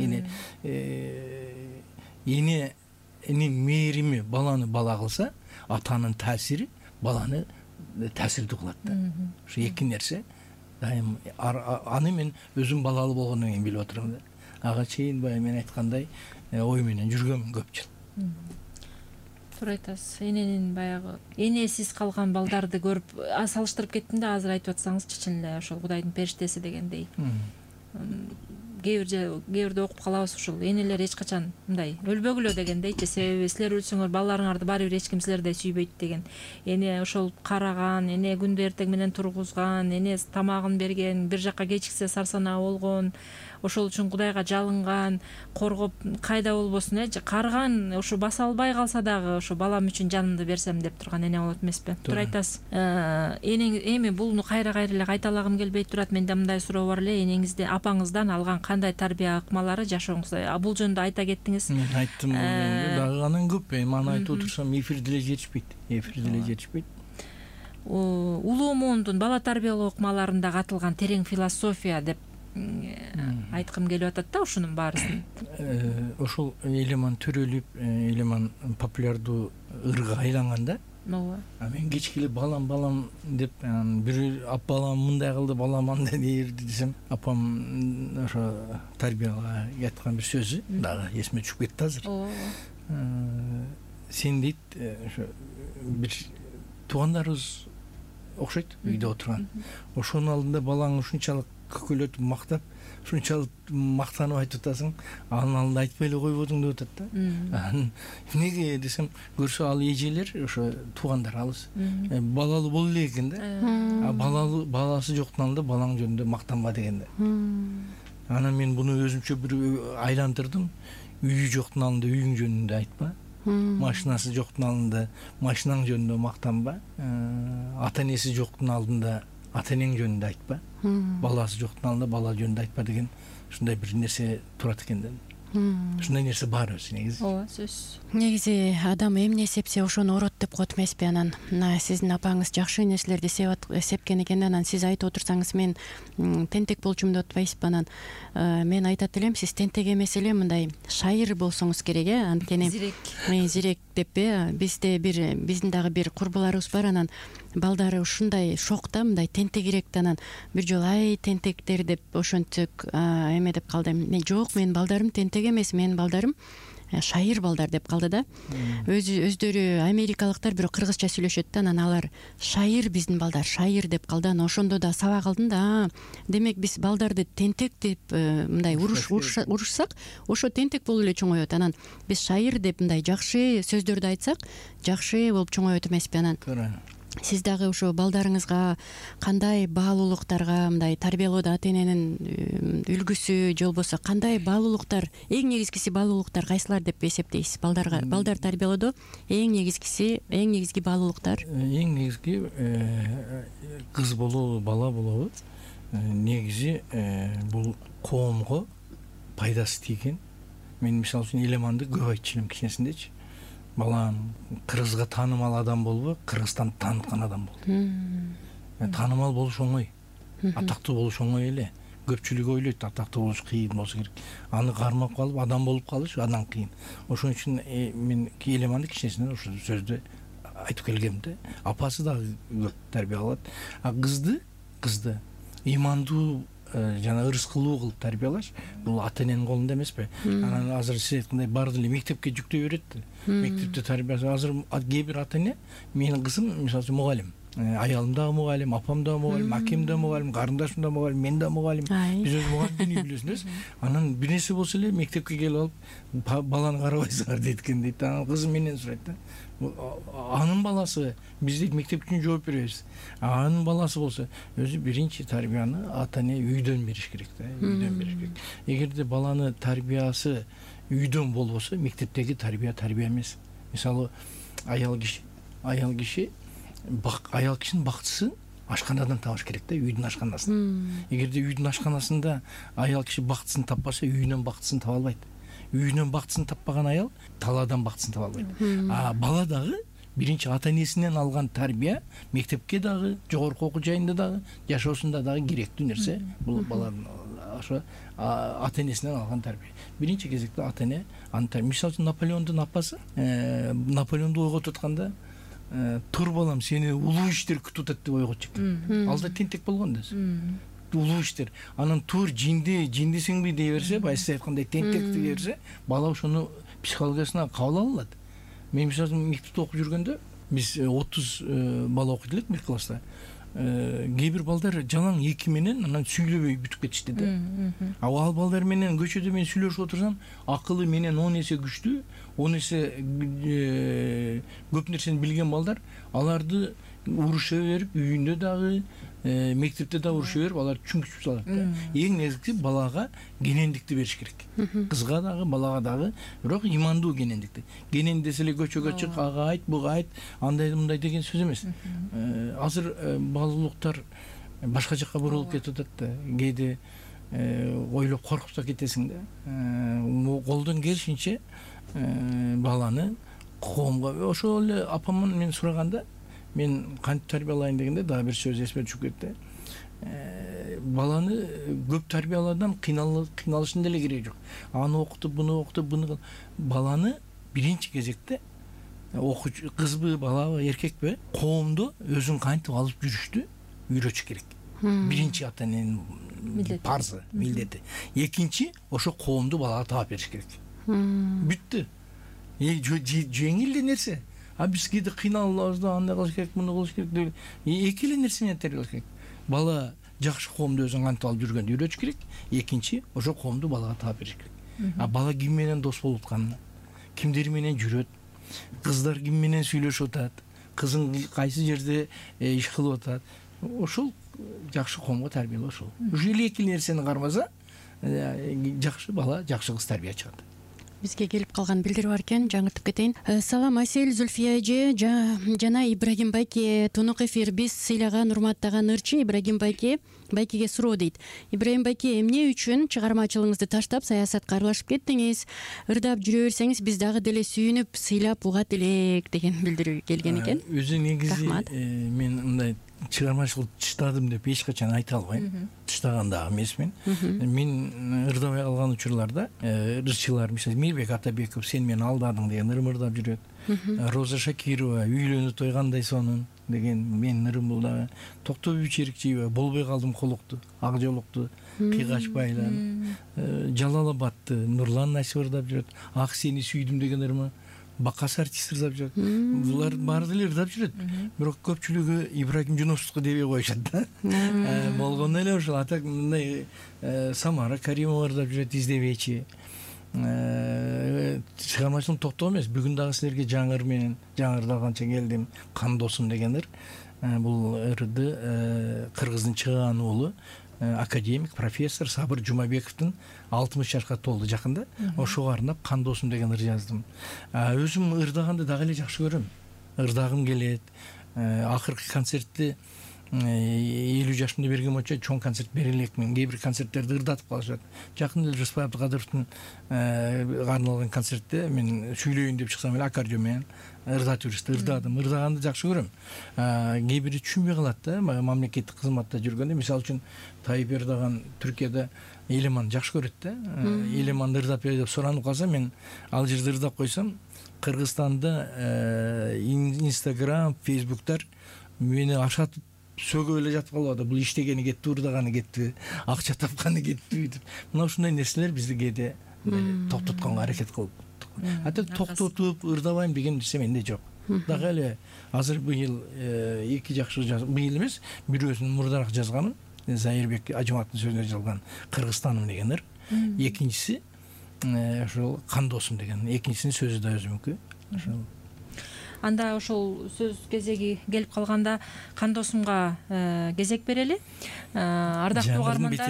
Эне эненин мээрими баланы бала кылса, атанын таасири баланы таасирдүү кылат да. Ошо эки нерсе дайым аны мен өзүм балалуу болгондон кийин билип отурам да. Ага чейин баягы мен айткандай ой менен жүргөм көп жыл. Туура айтасыз. Эненин баягы энесиз калган балдарды көрүп салыштырып кеттим да, азыр айтып атсаңызчы чын эле ошол Кудайдын периштеси дегендей. Кээ бир кээ бирде окуп калабыз ушул энелер эч качан мындай өлбөгүлө дегендейчи, себеби силер өлсөңөр балдарыңарды баары бир эч ким силердей сүйбөйт деген. Эне ошол караган, эне күндү эртең менен тургузган, эне тамагын берген, бир жакка кечиксе сарсанаа болгон, ошол үчүн Кудайга жалынган, коргоп кайда болбосун э карган, ошо баса албай калса дагы ошо балам үчүн жанымды берсем деп турган эне болот эмеспи? Туура айтасыз. Энең эми булну кайра кайра эле кайталагым келбей турат. Менде мындай суроо бар эле, энеңизде апаңыздан алган кандай тарбия ыкмалары жашооңузда? Бул жөнүндө айта кеттиңиз. Мен айттым, дагы анан көп. Эми аны айтып отурсам эфирде эле жетишпейт. Эфирде эле жетишпейт. Улуу муундун бала тарбиялоо ыкмаларында катылган терең философия деп айткым келип атат да, ушунун баарысын. Ошол элеман төрөлүп, элеман популярдуу ырга айланганда, ооба. Мен кечке эле балам балам деп, бир ап балам мындай кылды, балам андай дерди десем, апам ошо тарбияга айткан бир сөзү дагы эсиме түшүп кетти азыр. Ооба. Сен дейт, ошо бир туугандарыбыз окшойт үйдө отурган. Ошонун алдында балаң ушунчалык көкөлөтүп мактап, ушунчалык мактанып айтып атасың, анын алдында айтпай эле койбодуң деп атат да. Эмнеге десем, көрсө ал эжелер, ошо туугандар алыс, балалуу боло элек экен да. Балалуу баласы жоктун алдында балаң жөнүндө мактанба деген да. Анан мен буну өзүмчө бир айландырдым. Үйү жоктун алдында үйүң жөнүндө айтпа. Машинасы жоктун алдында машинаң жөнүндө мактанба. Ата энеси жоктун алдында ата энең жөнүндө айтпа. Баласы жоктун алдында бала жөнүндө айтпа деген ушундай бир нерсе турат экен да. Ушундай нерсе бар өзү негизи. Ооба, сөзсүз. Негизи адам эмне сепсе ошону орот деп коет эмеспи. Анан мына сиздин апаңыз жакшы нерселерди сепкен экен, анан сиз айтып отурсаңыз мен тентек болчумун деп атпайсызбы? Анан мен айтат элем, сиз тентек эмес эле мындай шайыр болсоңуз керек, э, анткени зирек зирек деп э бизде бир биздин дагы бир курбуларыбыз бар, анан балдары ушундай шокто, мындай тентегирек да, анан бир жолу ай тентектер деп ошентип эме деп калды. Мен жок, менин балдарым тентек эмес, менин балдарым шайыр балдар деп калды да. Өзү өздөрү америкалыктар бирок кыргызча сүйлөшөт да, анан алар шайыр, биздин балдар шайыр деп калды. Анан ошондо да саба калдым да, демек биз балдарды тентек деп мындай уруш урушсак, ошо тентек болуп эле чоңоет. Анан биз шайыр деп мындай жакшы сөздөрдү айтсак, жакшы болуп чоңоет эмеспи? Анан сиз дагы ошо балдарыңызга кандай баалуулуктарга мындай тарбиялоодо ата эненин үлгүсү же болбосо кандай баалуулуктар, эң негизгиси баалуулуктар кайсылар деп эсептейсиз? Балдарга балдар тарбиялоодо эң негизгиси, эң негизги баалуулуктар? Эң негизги кыз болобу, бала болобу, негизи бул коомго пайдасы тийген. Мен мисалы үчүн Элеманды көп айтчу элем кичинесиндечи. Балам кыргызга таанымал адам болбу, Кыргызстанды тааныткан адам бол. Таанымал болуш оңой, атактуу болуш оңой эле. Көпчүлүк ойлойт атактуу болуш кыйын болсо керек. Аны кармап калып адам болуп калыш андан кыйын. Ошон үчүн мен Элеманды кичинесинен ошо сөздү айтып келгем да. Апасы дагы көп тарбия кылат. А кызды, кызды ыймандуу жана ырыскылуу кылып тарбиялаш бул ата эненин колунда эмеспи? Анан азыр сиз айткандай баарды эле мектепке жүктөй берет. Мектепте тарбиясы азыр кээ бир ата эне, менин кызым мисалы үчүн мугалим, аялым дагы мугалим, апам дагы мугалим, акем дагы мугалим, карындашым дагы мугалим, мен дагы мугалим. Биз өз мугалимдин үй билесиңиз. Анан бир нерсе болсо эле мектепке келип алып баланы карабайсыңар дейт экен дейт. Анан кызым менен сурайт да. Анын баласы, биз дейт мектеп үчүн жооп беребиз. Анын баласы болсо өзү биринчи тарбияны ата эне үйдөн бериш керек да, үйдөн бериш керек. Эгерде баланы тарбиясы үйдөн болбосо, мектептеги тарбия тарбия эмес. Мисалы, аял киши, аял киши аял кишинин бактысын ашканадан табыш керек да, үйдүн ашканасынан. Эгерде үйдүн ашканасында аял киши бактысын таппаса, үйүнөн бактысын таба албайт. Үйүнөн бактысын таппаган аял талаадан бактысын таба албайт. А бала дагы биринчи ата энесинен алган тарбия мектепке дагы, жогорку окуу жайында дагы, жашоосунда дагы керектүү нерсе. Бул баланын ошо ата энесинен алган тарбия. Биринчи кезекте ата эне аны тарбия. Мисалы үчүн Наполеондун апасы Наполеонду ойготуп атканда тур балам, сени улуу иштер күтүп атат деп ойготчу экен. Ал да тентек болгон да. Улуу иштер. Анан тур жинди, жиндисиңби дей берсе, байсы айткандай тентек дей берсе, бала ошону психологиясына кабыл ала алат. Мен мисалы мектепте окуп жүргөндө биз отуз бала окуйт элек бир класста. Кээ бир балдар жалаң эки менен анан сүйлөбөй бүтүп кетишти да. Ал балдар менен көчөдө мен сүйлөшүп отурсам, акылы менен он эсе күчтүү, он эсе көп нерсени билген балдар, аларды уруша берип, үйүндө дагы, мектепте дагы уруша берип, алар чүңкүчүп салат да. Эң негизгиси балага генендикти бериш керек. Кызга дагы, балага дагы, бирок ыймандуу генендикти. Генен десе эле көчөгө чык, ага айт, буга айт, андай мындай деген сөз эмес. Азыр баалуулуктар башка жакка бурулуп кетип атат да. Кээде ойлоп коркуп да кетесиң да. Колдон келишинче баланы коомго, ошол эле апамдан мен сураганда, мен кантип тарбиялайын дегенде дагы бир сөз эсиме түшүп кетти. Баланы көп тарбиялаудан кыйналышын деле кереги жок. Аны окутуп, буну окутуп, буну баланы биринчи кезекте окуучу кызбы, балабы, эркекпи, коомдо өзүн кантип алып жүрүштү үйрөтүш керек. Биринчи ата эненин парзы, милдети. Экинчи, ошо коомду балага таап бериш керек. Бүттү. Жеңил эле нерсе. А биз кээде кыйналабыз да, андай кылыш керек, муну кылыш керек деп. Эки эле нерсе менен тарбиялаш керек. Бала жакшы коомду өзүн кантип алып жүргөндү үйрөтүш керек. Экинчи, ошо коомду балага таап бериш керек. А бала ким менен дос болуп атканын, кимдер менен жүрөт, кыздар ким менен сүйлөшүп атат, кызың кайсы жерде иш кылып атат, ошол жакшы коомго тарбиялоо ошол. Ушул эки нерсени кармаса, жакшы бала, жакшы кыз тарбия чыгат. бизге келип калган билдирүү бар экен, жаңыртып кетейин. Салам Асель, Зульфия эже жана Ибрагим байке. Тунук эфир. Биз сыйлаган, урматтаган ырчы Ибрагим байке байкеге суроо дейт. Ибрагим байке, эмне үчүн чыгармачылыгыңызды таштап саясатка аралашып кеттиңиз? Ырдап жүрө берсеңиз биз дагы деле сүйүнүп, сыйлап угат элек деген билдирүү келген экен. Өзү негизи мен мындай чыгармачылык тыштадым деп эч качан айта албайм. Тыштаган дагы эмесмин. Мен ырдабай калган учурларда ырчылар, мисалы Мирбек Атабеков "Сен мени алдадың" деген ырым ырдап жүрөт. Роза Шакирова "Үйлөнүү той кандай сонун" деген менин ырым бул дагы. Токтогул Черикчиева "Болбой калдым колукту, ак жолукту кыйгач байлан". Жалалабадты Нурлан Насип ырдап жүрөт. "Ак сени сүйдүм" деген ырымы. Бакас артист ырдап жүрөт. Булар баары деле ырдап жүрөт. Бирок көпчүлүгү Ибрагим Жунусовду дебей койушат да. Болгону эле ошол. Атак мындай Самара Каримова ырдап жүрөт, "Издебечи". Чыгармачылык токтоо эмес. Бүгүн дагы силерге жаңы ыр менен, жаңы ырдалганча келдим. "Кан досум" деген ыр. Бул ырды кыргыздын чыгаан уулу академик, профессор Сабыр Жумабековдун алтымыш жашка толду жакында. Ошого арнап "Кан досум" деген ыр жаздым. Өзүм ырдаганды дагы эле жакшы көрөм. Ырдагым келет. Акыркы концертти элүү жашымда берген боюнча чоң концерт бере элекмин. Кээ бир концерттерди ырдатып калышат. Жакында эле Жусупай Абдыкадыровдун арналган концертте мен сүйлөйүн деп чыксам эле аккордеон менен ырдатып жүрүштү. Ырдадым. Ырдаганды жакшы көрөм. Кээ бири түшүнбөй калат да, мамлекеттик кызматта жүргөндө. Мисалы үчүн Тайып Эрдоган Түркияда Элеман жакшы көрөт да. Элеманды ырдап бер деп суранып калса, мен ал жерде ырдап койсом, Кыргызстанда Инстаграм, Фейсбуктар мени ашатып сөгөп эле жатып калып атат. Бул иштегени кетти, ырдаганы кетти, акча тапканы кетти деп. Мына ушундай нерселер бизди кээде токтотконго аракет кылып. Ата токтотуп ырдабайм деген нерсе менде жок. Дагы эле азыр быйыл эки жакшы жазып, быйыл эмес, бирөөсүн мурдараак жазганым, Зайырбек Ажыматтын сөзүнө жазылган "Кыргызстаным" деген ыр. Экинчиси ошол "Кан досум" деген. Экинчисинин сөзү да өзүмүнкү. Ошол. Анда ошол сөз кезеги келип калганда "Кан досумга" кезек берели. Ардактуу угармандар,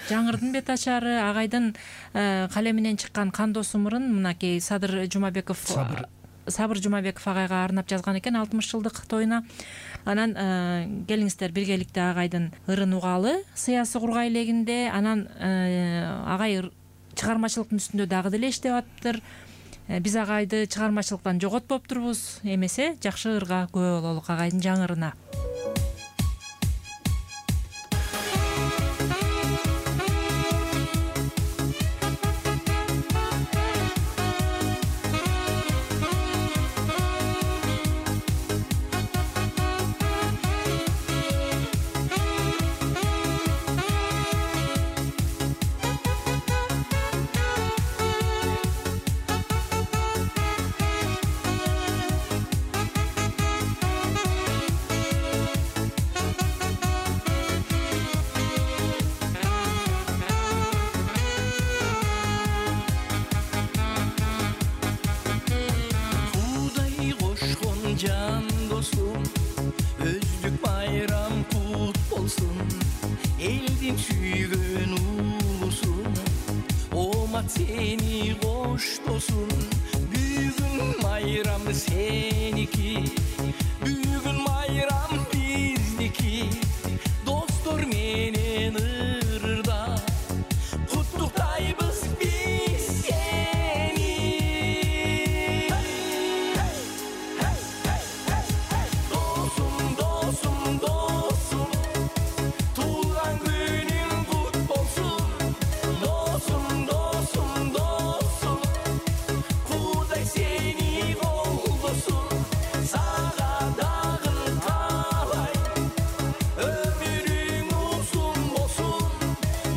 жаңырдын бет ачары агайдын калеминен чыккан "Кан досум" ырын мынакей Садыр Жумабеков Сабыр Жумабеков агайга арнап жазган экен алтымыш жылдык тоюна. Анан келиңиздер биргеликте агайдын ырын угалы. Сыясы кургай элегинде. Анан агай чыгармачылыктын үстүндө дагы деле иштеп атыптыр. Биз агайды чыгармачылыктан жоготпоптурбуз. Эмесе жакшы ырга күбө бололук агайдын жаңы ырына. Can dostum, özlük bayram kut bolsun. Eldin süygön ulusun, omat seni koş dosun. Bugün bayram seniki, bugün bayram bizniki. Dostlar menen ırda, kutluktaybız biz seni. Dostum, dostum, dostum, tuğan günün kut bolsun. Dostum, dostum, dostum, Kuday seni koldosun. Sağa dağın kalay, ömrün uzun bolsun.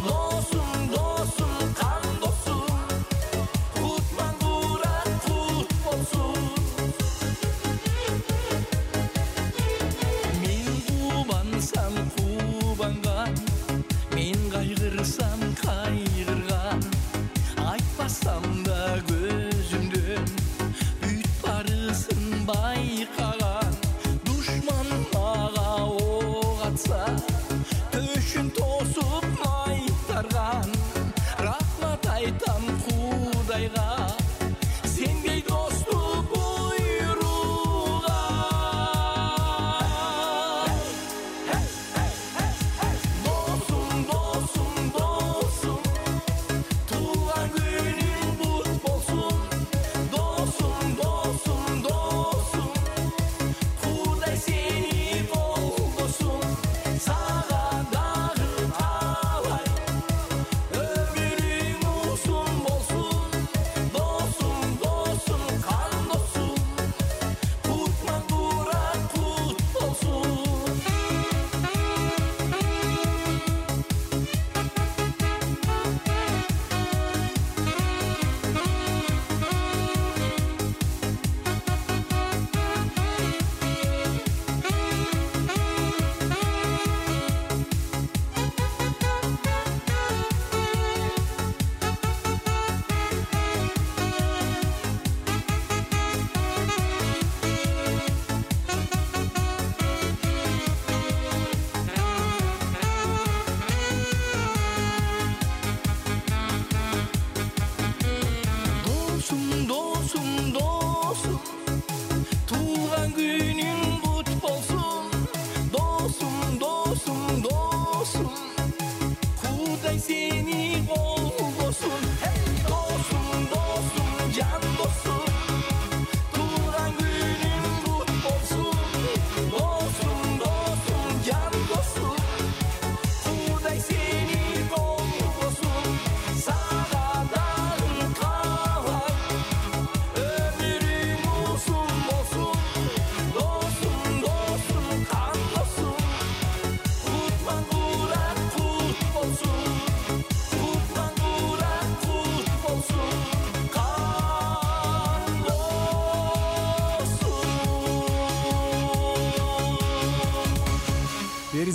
Dostum, dostum, kan dostum, kutman duran kut bolsun. Men kubansam kubangan, men kaygırsam kaygırgan. Айтпасам да көзүмдөн бүт барысын байкаган. Душман мага ок атса, төшүн тосуп майтарган. Рахмат айтам Кудайга,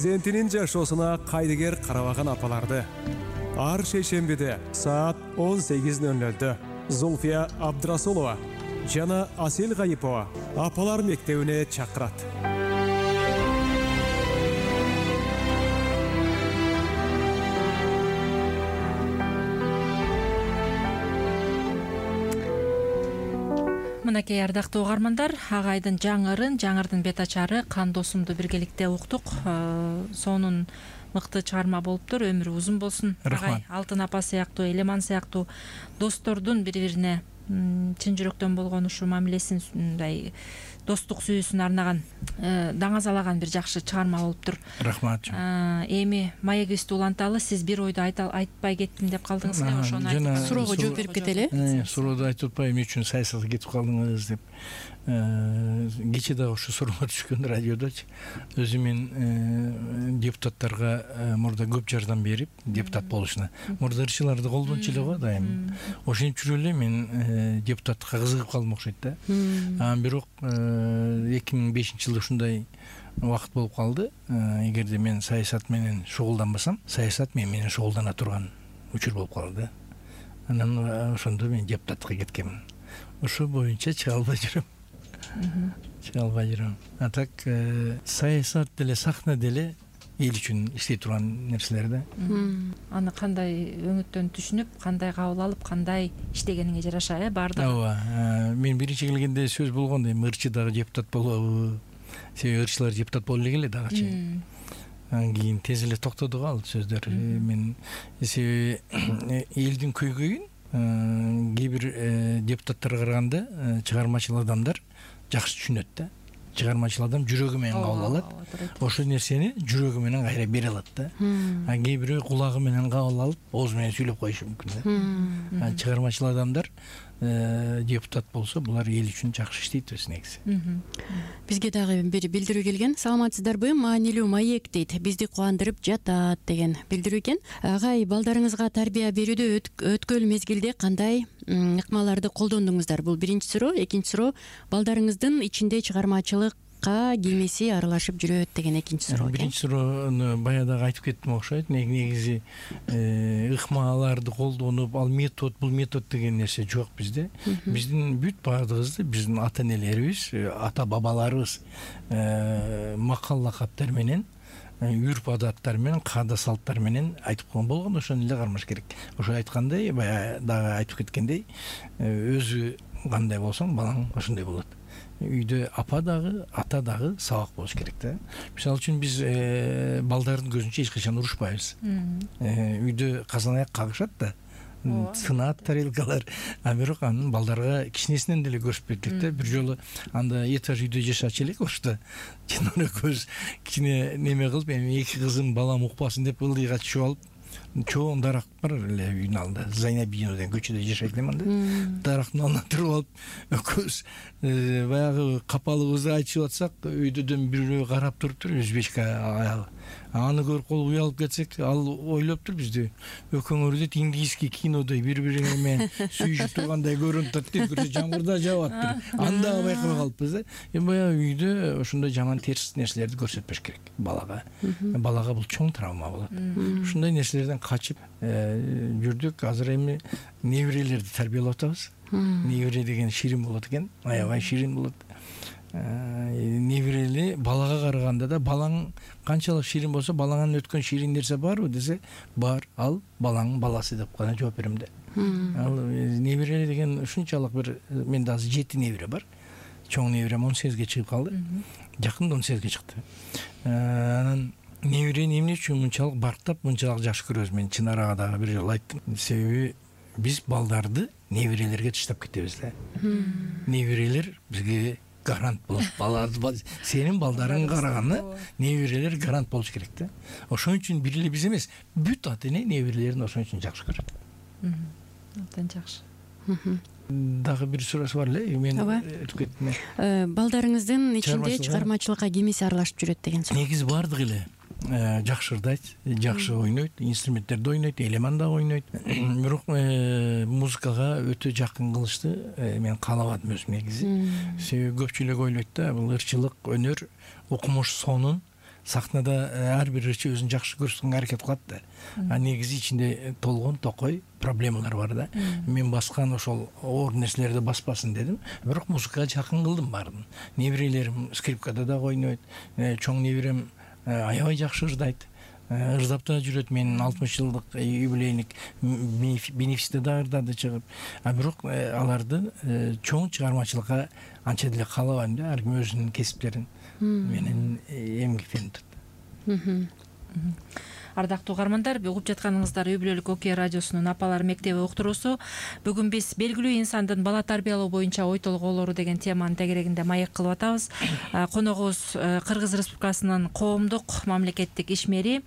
Перзентинин жашоосуна кайдыгер карабаган апаларды ар шейшембиде саат он сегиз ноль нольдө Зульфия Абдрасулова жана Асел Гайипова апалар мектебине чакырат. Мынакей ардактуу угармандар, агайдын жаңырын, жаңырдын бет ачары Кан досумду биргеликте уктук. Сонун мыкты чыгарма болуптур, өмүрү узун болсун. Агай Алтын апа сыяктуу, Элеман сыяктуу достордун бири-бирине чын жүрөктөн болгон ушу мамилесин, мындай достук сүйүүсүн арнаган, даңазалаган бир жакшы чыгарма болуптур. Рахмат. Эми маегибизди уланталы, сиз бир ойду айтпай кеттим деп калдыңыз эле, ошону айтып суроого жооп берип кетели. Сурооду айтып атпай, эмне үчүн саясатка кетип калдыңыз деп. Кечээ дагы ушу суроо түшкөн радиодочу. Өзү мен депутаттарга мурда көп жардам берип, депутат болушуна. Мурда ырчыларды колдончу эле го дайым. Ошентип жүрүп эле мен депутатка кызыгып калдым окшойт да. Анан бирок эки миң бешинчи жылы ушундай убакыт болуп калды. Эгерде мен саясат менен шугулданбасам, саясат мен менен шугулдана турган учур болуп калды. Анан ошондо мен депутатка кеткенмин. Ошо боюнча чыга албай жүрөм. Чыга албай жүрөм. А так саясат деле, сахна деле эл үчүн иштей турган нерселер да. Аны кандай өңүттөн түшүнүп, кандай кабыл алып, кандай иштегениңе жараша, э, баардыгы. Ооба. Мен биринчи келгенде сөз болгон, эми ырчы дагы депутат болобу? Себеби ырчылар депутат боло элек эле дагычы. Анан кийин тез эле токтоду го ал сөздөр. Мен себеби элдин көйгөйүн кээ бир депутаттарга караганда чыгармачыл адамдар жакшы түшүнөт да. Чыгармачыл адам жүрөгү менен кабыл алат. Ошол нерсени жүрөгү менен кайра бере алат да. А кээ бирөө кулагы менен кабыл алып, оозу менен сүйлөп коюшу мүмкүн да. Чыгармачыл адамдар депутат болсо, булар эл үчүн жакшы иштейт өз негизи. Бизге дагы бир билдирүү келген. Саламатсыздарбы? Маанилүү маек дейт. Бизди кубандырып жатат деген билдирүү экен. Агай, балдарыңызга тарбия берүүдө өткөл мезгилде кандай ыкмаларды колдондуңуздар? Бул биринчи суроо. Экинчи суроо, балдарыңыздын ичинде чыгармачылык киймеси аралашып жүрөт деген экинчи суроо. Биринчи суроону баягы айтып кеттим окшойт. Негизи ыкмаларды колдонуп, ал метод, бул метод деген нерсе жок бизде. Биздин бүт баардыгыбызды биздин ата энелерибиз, ата бабаларыбыз макал лакаптар менен, үрп адаттар менен, каада салттар менен айтып койгон болгон, ошону эле кармаш керек. Ошо айткандай, баягы дагы айтып кеткендей, өзү кандай болсоң, балаң ошондой болот. Үйдө апа дагы, ата дагы сабак болуш керек да. Мисалы үчүн биз балдардын көзүнчө эч качан урушпайбыз. Үйдө казан аяк кагышат да, сынат тарелкалар, а бирок анын балдарга кичинесинен деле көрсөтүп бердик да. Бир жолу анда этаж үйдө жашачу элек ошто. Жана көз кичине неме кылып, эми эки кызым балам укпасын деп ылдыйга түшүп алып, чоң дарак бар эле үйдүн алдында. Зайнабино деген көчөдө жашайт элем анда. Дарактын алдына туруп алып, көз баягы капалыбызды айтышып атсак, үйдөдөн бирөө карап туруптур, өзбечка аягы. Аны көрүп калып уялып кетсек, ал ойлоптур бизди. Өкөңөр дейт, индийский кинодой бири-бирине менен сүйүшүп тургандай көрүнүп атат дейт, бир жамгырда жаап атыптыр. Анда байкабай калыппыз да. Эми баягы үйдө ошондой жаман терс нерселерди көрсөтпөш керек балага. Балага бул чоң травма болот. Ушундай нерселерден качып жүрдүк. Азыр эми неберелерди тарбиялап атабыз. Небере деген ширин болот экен, аябай ширин болот. Неберели балага караганда да, балаң канчалык ширин болсо, балаңан өткөн ширин нерсе барбы десе, бар, ал балаңдын баласы деп гана жооп берем да. Ал небере деген ушунчалык бир, менде азыр жети небере бар. Чоң неберем он сегизге чыгып калды. Жакында он сегизге чыкты. Анан неберени эмне үчүн мынчалык барктап, мынчалык жакшы көрөбүз? Мен Чынарага дагы бир жолу айттым. Себеби биз балдарды неберелерге таштап кетебиз да. Неберелер бизге гарант болот. Балдар, сенин балдарың караганы неберелер гарант болуш керек да. Ошон үчүн бир эле биз эмес, бүт ата эне неберелерин ошон үчүн жакшы көрөт. Абдан жакшы. Дагы бир суроосу бар эле, мен өтүп кеттим. Балдарыңыздын ичинде чыгармачылыкка кимиси аралашып жүрөт деген суроо. Негизи баардыгы эле жакшы ырдайт, жакшы ойнойт, инструменттерди ойнойт, Элеман да ойнойт. Бирок музыкага өтө жакын кылышты мен каалабадым өзүм негизи. Себеби көпчүлүк ойлойт да, бул ырчылык өнөр окумуш сонун сахнада ар бир ырчы өзүн жакшы көрсөткөнгө аракет кылат да. А негизи ичинде толгон токой проблемалар бар да. Мен баскан ошол оор нерселерди баспасын дедим. Бирок музыкага жакын кылдым баарын. Неберелерим скрипкада да ойнойт, чоң неберем аябай жакшы ырдайт. Ырдап да жүрөт. Менин алтымыш жылдык юбилейник бенефисте да ырдады чыгып. А бирок аларды чоң чыгармачылыкка анча деле каалабайм да. Ар ким өзүнүн кесиптерин менен эмгектенип турат. Ардактуу угармандар, угуп жатканыңыздар Үй-бүлөлүк Окуя радиосунун Апалар мектеби уктуруусу. Бүгүн биз белгилүү инсандын бала тарбиялоо боюнча ой толгоолору деген теманын тегерегинде маек кылып атабыз. Коногубуз Кыргыз Республикасынын коомдук мамлекеттик ишмери,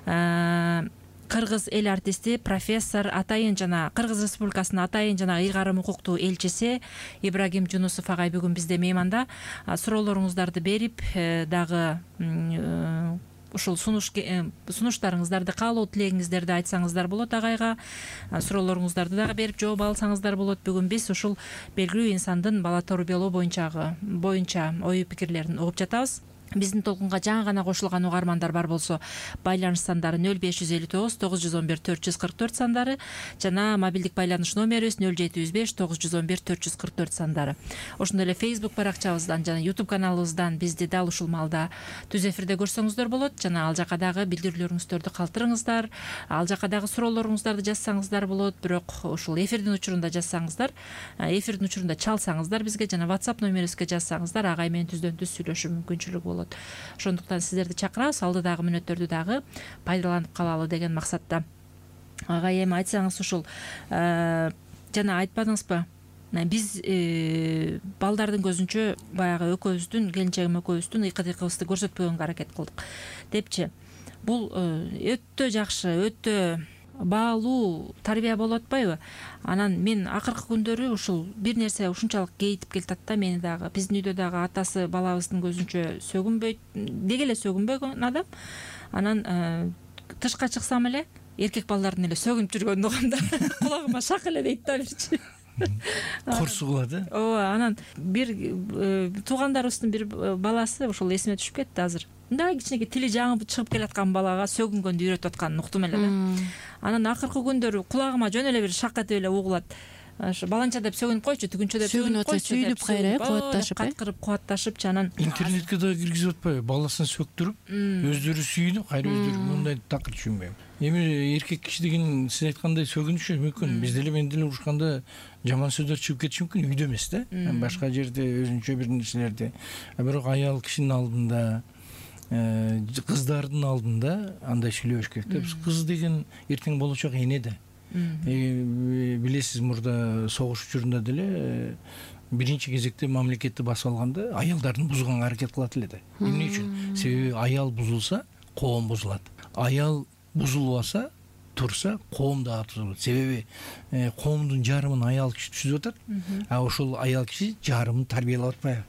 кыргыз эл артисти, профессор, атайын жана Кыргыз Республикасынын атайын жана ыйгарым укуктуу элчиси Ибрагим Жунусов агай бүгүн бизде мейманда. Суроолоруңуздарды берип, дагы ушул сунуш сунуштарыңыздарды, каалоо тилегиңиздерди айтсаңыздар болот агайга. Суроолоруңуздарды дагы берип жооп алсаңыздар болот. Бүгүн биз ушул белгилүү инсандын бала тарбиялоо боюнчагы боюнча ой пикирлерин угуп жатабыз. Биздин толкунга жаңы гана кошулган угармандар бар болсо, байланыш сандары нөл беш жүз элүү тогуз тогуз жүз он бир төрт жүз кырк төрт сандары жана мобилдик байланыш номерибиз нөл жети жүз беш тогуз жүз он бир төрт жүз кырк төрт сандары. Ошондой эле Facebook баракчабыздан жана YouTube каналыбыздан бизди дал ушул маалда түз эфирде көрсөңүздөр болот. Жана ал жака дагы билдирүүлөрүңүздөрдү калтырыңыздар. Ал жака дагы суроолоруңуздарды жазсаңыздар болот. Бирок ушул эфирдин учурунда жазсаңыздар, эфирдин учурунда чалсаңыздар бизге жана WhatsApp номерибизге жазсаңыздар агай менен түздөн түз сүйлөшүү мүмкүнчүлүгү болот. Ошондуктан сиздерди чакырабыз, алдыдагы мүнөттөрдү дагы пайдаланып калалы деген максатта. Агай, эми айтсаңыз, ушул жана айтпадыңызбы, биз балдардын көзүнчө баягы экөөбүздүн, келинчегим экөөбүздүн ыйкы-тыйкыбызды көрсөтпөгөнгө аракет кылдык депчи. Бул өтө жакшы, өтө баалуу тарбия болуп атпайбы? Анан мен акыркы күндөрү ушул бир нерсе ушунчалык кейитип келатат да, мени дагы. Биздин үйдө дагы атасы балабыздын көзүнчө сөгүнбөйт, деги эле сөгүнбөгөн адам. Анан тышка чыксам эле эркек балдардын эле сөгүнүп жүргөнүн угам да. Кулагыма шак эле дейт да бирчи. Курсу кылат, э? Ооба, анан бир туугандарыбыздын бир баласы ушул эсиме түшүп кетти азыр. Мындай кичинекей тили жаңы чыгып келаткан балага сөгүнгөндү үйрөтүп атканын уктум эле да. Анан акыркы күндөрү кулагыма жөн эле бир шак этип эле угулат. Ошо баланча деп сөгүнүп койчу, түгүнчө деп сөгүнүп койчу, сүйлүп кайра кубатташып, каткырып кубатташып анан интернетке да киргизип атпайбы? Баласын сөктүрүп, өздөрү сүйүнүп, кайра өздөрү мындай такыр түшүнбөйм. Эми эркек киши деген сиз айткандай сөгүнүшү мүмкүн. Бизде эле мен деле урушканда жаман сөздөр чыгып кетиши мүмкүн, үйдө эмес да. Башка жерде өзүнчө бир нерселерди. Бирок аял кишинин алдында, кыздардын алдында андай сүйлөбөш керек да. Кыз деген эртең болочок эне да. Билесиз, мурда согуш учурунда деле биринчи кезекте мамлекетти басып алганда аялдардын бузганга аракет кылат эле да. Эмне үчүн? Себеби аял бузулса, коом бузулат. Аял бузулбаса, турса, коом да бузулат. Себеби коомдун жарымын аял киши түзүп атат, а ошол аял киши жарымын тарбиялап атпайбы?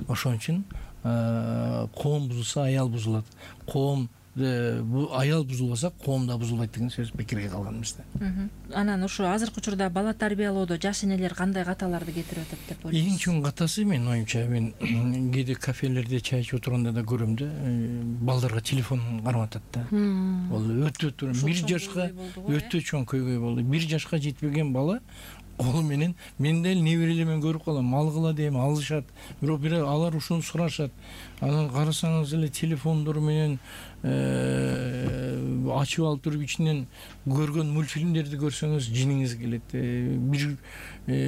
Ошон үчүн коом бузулса, аял бузулат. Коом аял бузулбаса, коом да бузулбайт деген сөз пикирге калганбыз да. Анан ушу азыркы учурда бала тарбиялоодо жаш энелер кандай каталарды кетирип атат деп ойлойсуз? Эң чоң катасы, менин оюмча, мен кээде кафелерде чай ичип отурганда да көрөм да, балдарга телефон карматат да. Бул өтө бир жашка өтө чоң көйгөй болду. Бир жашка жетпеген бала колу менен, мен деле неберелермен көрүп калам, алгыла дейм, алышат. Бирок бир алар ушуну сурашат. Анан карасаңыз эле телефондор менен ачып алып туруп ичинен көргөн мультфильмдерди көрсөңүз жиниңиз келет. Бир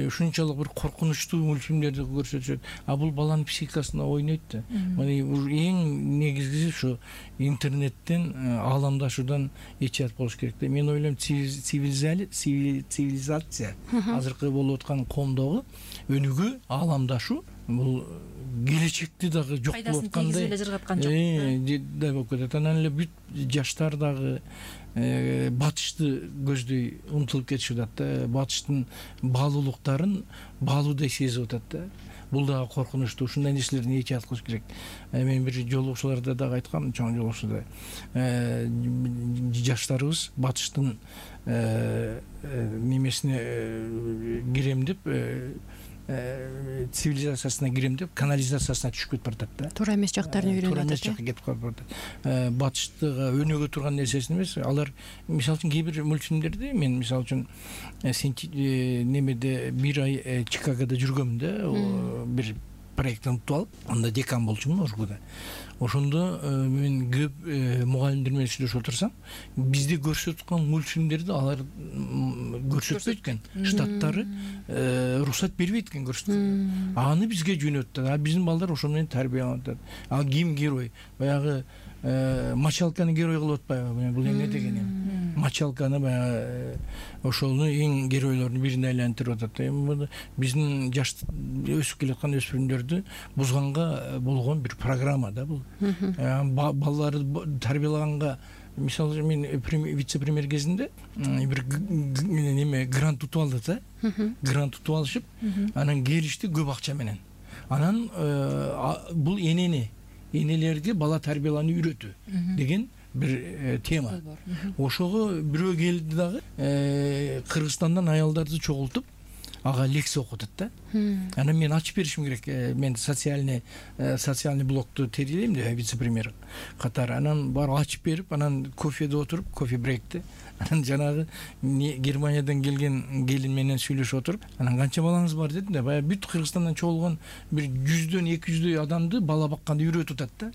ушунчалык бир коркунучтуу мультфильмдерди көрсөтүшөт. А бул баланын психикасына ойнойт да. Мына эң негизгиси ушу интернеттен, ааламдашуудан эчият болуш керек да. Мен ойлойм, цивилизация азыркы болуп аткан коомдогу өнүгүү, ааламдашуу бул келечекти дагы жок болуп аткандай эле жыргаткан жок. Да болуп кетет. Анан эле бүт жаштар дагы батышты көздөй умтулуп кетишип атат да. Батыштын баалуулуктарын баалуудай сезип атат да. Бул дагы коркунучтуу. Ушундай нерселердин эчият кылыш керек. Мен бир жолугушууларда дагы айткам, чоң жолугушууда жаштарыбыз батыштын немесине кирем деп цивилизациясына кирем деп канализациясына түшүп кетип баратат да. Туура эмес жактарын үйрөнүп туура эмес атат. жакка кетип калып баратат. Батыштыга өнөгө турган нерсесин эмес. Алар мисалы үчүн кээ бир мультфильмдерде мен мисалы үчүн немеде бир ай Чикагода жүргөм да, бир проекттен утуп алып, анда декан болчумун ошкода. Ошондо мен көп мугалимдер менен сүйлөшүп отурсам, бизде көрсөтүп аткан мультфильмдерди алар көрсөтпөйт экен. Штаттары уруксат бербейт экен көрсөтүп. Аны бизге жөнөттү. А биздин балдар ошо менен тарбияланып атат. А ким герой? Баягы Мочалканы герой кылып атпайбы? Бул эмне деген эми? Мочалканы баягы ошону эң геройлордун бирине айлантырып атат. Эми биздин жаш өсүп келаткан өспүрүмдөрдү бузганга болгон бир программа да бул. Балдарды тарбиялаганга, мисалы мен вице-премьер кезинде бир неме грант утуп алдык да. Грант утуп алышып, анан келишти көп акча менен. Анан бул энени энелерге бала тарбиялоону үйрөтүү деген бир тема. Ошого бирөө келди дагы, Кыргызстандан аялдарды чогултуп ага лекция окутат да. Анан мен ачып беришим керек. Мен социальный социальный блокту терилейм деп вице-премьер катары. Анан барып ачып берип, анан кофеде отуруп, кофе брейкте анан жанагы Германиядан келген келин менен сүйлөшүп отуруп, анан канча балаңыз бар дедим да. Баягы бүт Кыргызстандан чогулган бир жүздөн эки жүздөй адамды бала бакканды үйрөтүп атат да.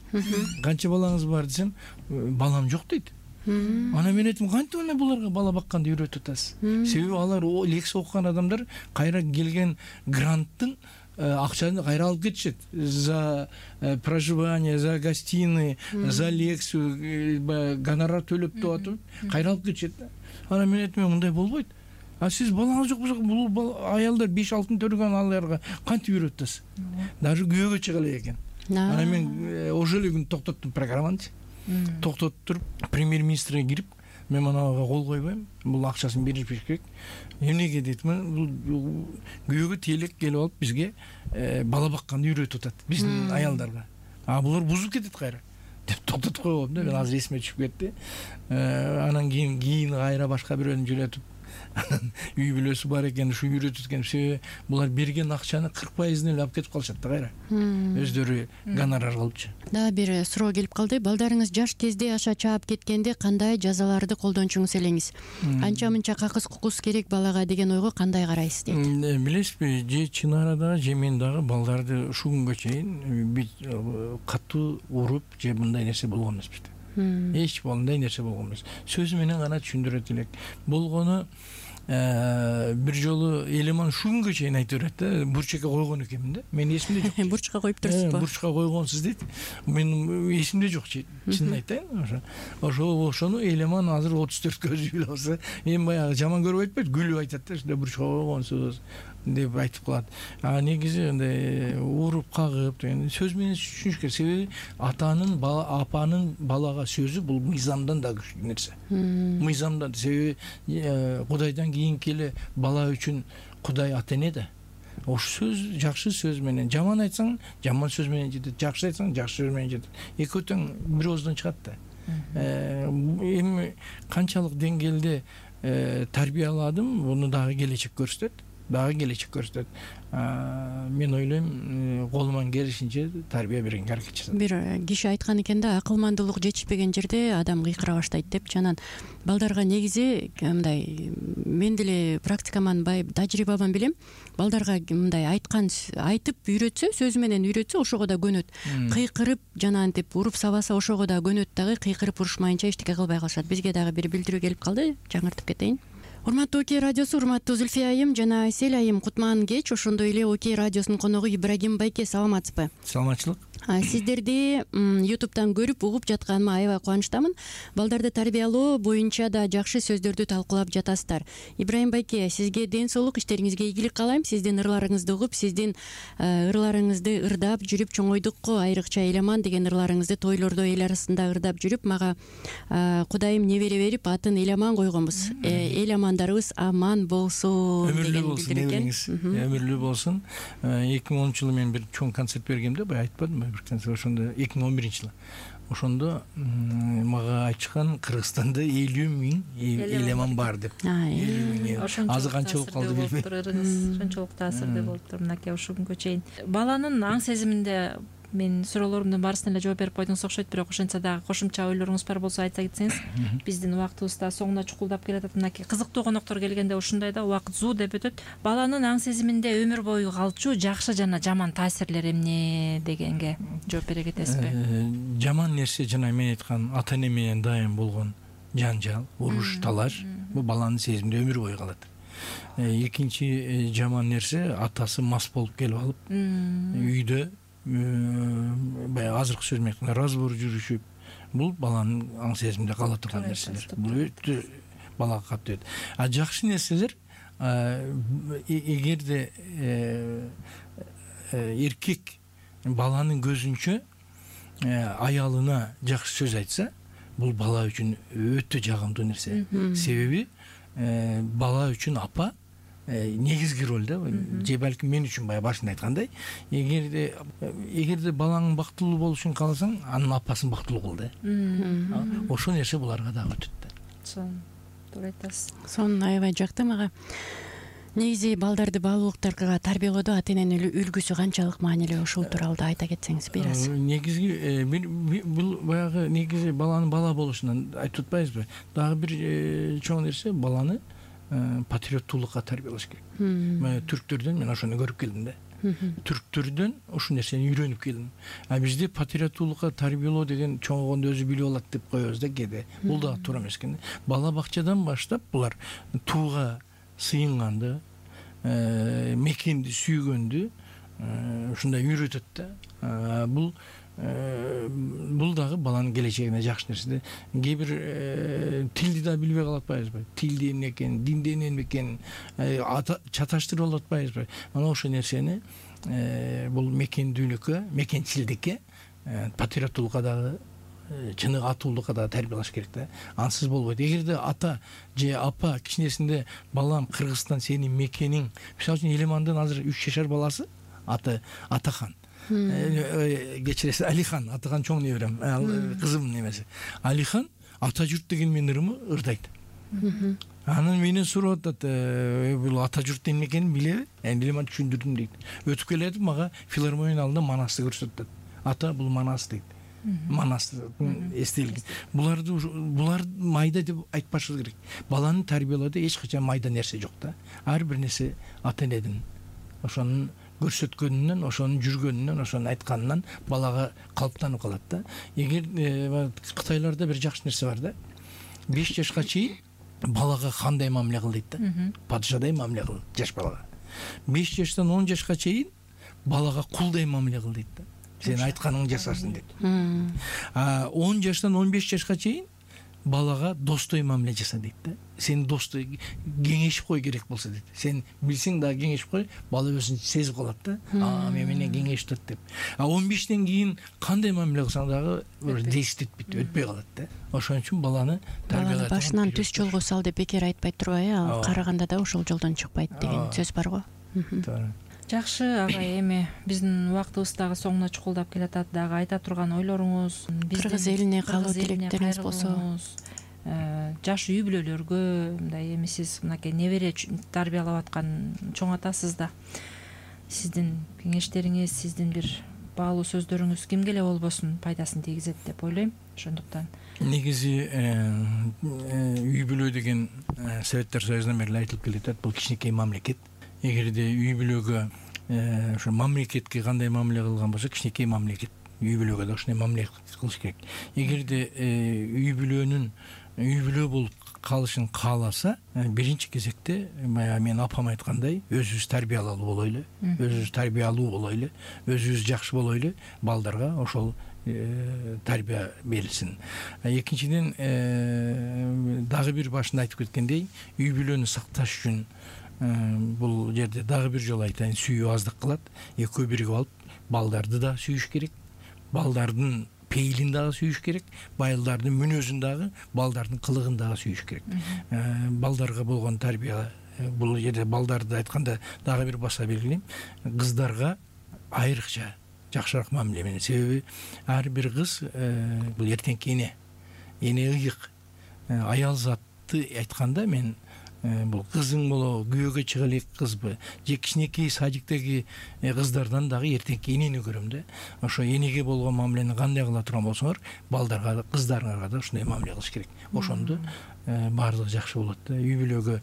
Канча балаңыз бар десем, балам жок дейт. Анан мен айтым, кантип ана буларга бала бакканды үйрөтүп атасыз? Себеби алар лекция окуган адамдар кайра келген гранттын акчаны кайра алып кетишет. За проживание, за гостиные, за лекцию гонорар төлөп деп атып, кайра алып кетишет. Анан мен айтым, мындай болбойт. А сиз балаңыз жок болсо, бул аялдар беш алтын төлөгөн аларга кантип үйрөтүп атасыз? Даже күйөөгө чыга элек экен. Анан мен ошол эле күн токтоттум программаны. Токтотуп туруп, премьер-министрге кирип, мен манага кол койбойм, бул акчасын беришпеш керек. Эмнеге дейтим, бул күйөөгө тейлек келип алып бизге бала бакканды үйрөтүп атат, биздин аялдарга. А булар бузуп кетет кайра деп токтотуп койгом да, мен азыр эсиме түшүп кетти. Анан кийин кийин кайра башка бирөөнү жөнөтүп, үй бүлөсү бар экен, ушу үйрөтүп экен. Себеби булар берген акчаны кырк пайызын эле алып кетип калышат да кайра. Өздөрү гонорар кылыпчы. Да, бир суроо келип калды. Балдарыңыз жаш кезде аша чаап кеткенде кандай жазаларды колдончуңуз элеңиз? Анча мынча какыс кукус керек балага деген ойго кандай карайсыз дейт. Билесизби, же чын арада, же мен дагы балдарды ушул күнгө чейин катуу уруп, же мындай нерсе болгон эмес бизде. Эч мындай нерсе болгон эмес. Сөзү менен гана түшүндүрөт элек. Болгону бир жолу элеман ушул күнгө чейин айтып берет да, бурчакка койгон экенмин да. Мен эсимде жок. Бурчка коюп турсузбу? Бурчка койгонсуз дейт. Мен эсимде жок, чынын айтайын. Ошо ошону элеман азыр отуз төрткө билип алса, эми баягы жаман көрүп айтпайт, күлүп айтат да, ушундай бурчка койгонсуз деп айтып калат. А негизи андай уруп кагып деген сөз менен түшүнүш керек. Себеби атанын, апанын балага сөзү бул мыйзамдан да күчтүү нерсе. Мыйзамдан. Себеби Кудайдан кийинки эле бала үчүн Кудай ата эне да. Ошол сөз жакшы сөз менен, жаман айтсаң, жаман сөз менен жетет, жакшы айтсаң, жакшы сөз менен жетет. Экөө тең бир ооздан чыгат да. Эми канчалык деңгээлде тарбияладым, буну дагы келечек көрсөтөт. Дагы келечек көрсөтөт. Мен ойлойм, колуман келишинче тарбия бергенге аракет жасайм. Бир киши айткан экен да, акылмандуулук жетишпеген жерде адам кыйкыра баштайт деп. Жанан балдарга негизи мындай, мен деле практикаман бай тажрыйбаман билем. Балдарга мындай айткан айтып үйрөтсө, сөзү менен үйрөтсө, ошого да көнөт. Кыйкырып, жанантип уруп сабаса, ошого да көнөт дагы, кыйкырып урушмайынча эчтеке кылбай калышат. Бизге дагы бир билдирүү келип калды, жаңыртып кетейин. Урматтуу Окей радиосу, урматтуу Зульфия айым жана Айсель айым, кутман кеч. Ошондой эле Окей радиосунун коногу Ибрагим байке, саламатсызбы? Саламатчылык. Сиздерди ютубтан көрүп, угуп жатканыма аябай кубанычтамын. Балдарды тарбиялоо боюнча да жакшы сөздөрдү талкуулап жатасыздар. Ибрагим байке, сизге ден соолук, иштериңизге ийгилик каалайм. Сиздин ырларыңызды угуп, сиздин ырларыңызды ырдап жүрүп чоңойдук го, айрыкча Эламан деген ырларыңызды тойлордо эл арасында ырдап жүрүп, мага Кудайым небере берип, атын Эламан койгонбуз. Эламандарыбыз аман болсун деген билдирген. Өмүрлүү болсун. эки миң онунчу жылы мен бир чоң концерт бергем да, бай айтпадымбы? Ошондо эки миң он биринчи жылы ошондо мага айтышкан Кыргызстанда элүү миң элеман бар деп. Азы канча болуп калды билбейм. Ошончолук таасирдүү болуптур мынакей ушул күнгө чейин. Баланын аң сезиминде мен суроолорумдун баарысына эле жооп берип койдуңуз окшойт, бирок ошентсе дагы кошумча ойлоруңуз бар болсо айта кетсеңиз. Биздин убактыбыз да соңуна чукулдап келатат. Мынакей кызыктуу коноктор келгенде ушундай да убакыт зуу деп өтөт. Баланын аң сезиминде өмүр бою калчу жакшы жана жаман таасирлер эмне дегенге жооп бере кетесизби? Жаман нерсе жана мен айткан ата эне менен дайым болгон жанжал, уруш, талаш бул баланын сезиминде өмүр бою калат. Экинчи жаман нерсе атасы мас болуп келип алып үйдө баягы азыркы сөз менен айтканда разбор жүрүшүп, бул баланын аң сезиминде кала турган нерселер. Бул өтө балага катуу. А жакшы нерселер эгерде эркек баланын көзүнчө аялына жакшы сөз айтса, бул бала үчүн өтө жагымдуу нерсе. Себеби бала үчүн апа негизги роль да, же балким мен үчүн баягы башында айткандай, эгерде эгерде балаң бактылуу болушун кааласаң, анын апасын бактылуу кыл да. Ошол нерсе буларга дагы өтөт да. Туура айтасыз. Сонун аябай жакты мага. Негизи балдарды баалуулуктарга тарбиялоодо ата эненин үлгүсү канчалык маанилүү, ушул тууралуу да айта кетсеңиз бир аз. Негизги бул баягы негизи баланын бала болушунан айтып атпайбызбы? Дагы бир чоң нерсе баланы патриоттуулукка тарбиялаш керек. Түрктөрдөн мен ошону көрүп келдим да. Түрктөрдөн ушул нерсени үйрөнүп келдим. А бизде патриоттуулукка тарбиялоо деген чоңойгондо өзү билип алат деп коебуз да кээде. Бул да туура эмес экен. Бала бакчадан баштап булар тууга сыйынганды, мекенди сүйгөндү ушундай үйрөтөт да. Бул бул дагы баланын келечегине жакшы нерсе. Кээ бир тилди да билбей калып атпайбызбы? Тилди эмне экенин, динди эмне экенин чаташтырып алып атпайбызбы? Мына ошол нерсени бул мекендүүлүккө, мекенчилдикке, патриоттуулукка дагы, чыныгы атуулукка дагы тарбиялаш керек да. Ансыз болбойт. Эгерде ата же апа кичинесинде балам Кыргызстан сенин мекениң, мисалы үчүн Элемандын азыр үч жашар баласы аты Атахан. Кечиресиз, Алихан, Атахан чоң неберем, кызым немеси. Алихан ата журт деген менин ырымы ырдайт. Анан менен сурап атат, бул ата журт эмне экенин билеби? Эми мен түшүндүрдүм дейт. Өтүп келатып мага филармониянын алдында Манасты көрсөтөт. Ата бул Манас дейт. Манас эстелик. Буларды булар майда деп айтпашыбыз керек. Баланы тарбиялоодо эч качан майда нерсе жок да. Ар бир нерсе ата энедин ошонун көрсөткөнүнөн, ошонун жүргөнүнөн, ошонун айтканынан балага калыптанып калат да. Эгер Кытайларда бир жакшы нерсе бар да. беш жашка чейин балага кандай мамиле кыл дейт да. Падышадай мамиле кыл жаш балага. беш жаштан он жашка чейин балага кулдай мамиле кыл дейт да. Сен айтканыңды жасасын дейт. А он жаштан он беш жашка чейин балага достой мамиле жаса дейт да. Сен достой кеңешип кой керек болсо дейт. Сен билсең дагы кеңешип кой, бала өзүн сезип калат да. А мен менен кеңешип деп. А он бештен кийин кандай мамиле кылсаң дагы бир действиет өтпөй калат да. Ошон үчүн баланы тарбиялап башынан түз жолго сал деп бекер айтпайт турбайбы? Ал караганда да ошол жолдон чыкпайт деген сөз бар го. Туура. Жакшы агай, эми биздин убактыбыз дагы соңуна чукулдап келатат. Дагы айта турган ойлоруңуз, Кыргыз элине каалоо тилектериңиз болсо, жаш үй бүлөлөргө, мындай эми сиз мынакей небере тарбиялап аткан чоң атасыз да. Сиздин кеңештериңиз, сиздин бир баалуу сөздөрүңүз кимге эле болбосун пайдасын тийгизет деп ойлойм. Ошондуктан негизи үй бүлө деген Советтер Союзунан бери айтылып келатат. Бул кичинекей мамлекет. Эгерде үй бүлөгө ошо мамлекетке кандай мамиле кылган болсо, кичинекей мамлекет үй бүлөгө да ошондой мамиле кылыш керек. Эгерде үй бүлөнүн үй бүлө болуп калышын кааласа, биринчи кезекте баягы мен апам айткандай, өзүбүз тарбиялуу болойлу, өзүбүз тарбиялуу болойлу, өзүбүз жакшы болойлу, балдарга ошол тарбия берилсин. Экинчиден дагы бир башында айтып кеткендей, үй бүлөнү сакташ үчүн бул жерде дагы бир жолу айтайын, сүйүү аздык кылат. Экөө биригип алып балдарды да сүйүш керек, балдардын пейилин дагы сүйүш керек, балдардын мүнөзүн дагы, балдардын кылыгын дагы сүйүш керек. Балдарга болгон тарбия, бул жерде балдарды айтканда дагы бир баса белгилейм, кыздарга айрыкча жакшыраак мамиле менен. Себеби ар бир кыз бул эртеңки эне эне ыйык. Аял затты айтканда мен бул кызың болобу, күйөөгө чыга элек кызбы же кичинекей садиктеги кыздардан дагы эртеңки энени көрөм да. Ошо энеге болгон мамилени кандай кыла турган болсоңор, балдарга, кыздарыңарга да ушундай мамиле кылыш керек. Ошондо баардыгы жакшы болот да. Үй бүлөгө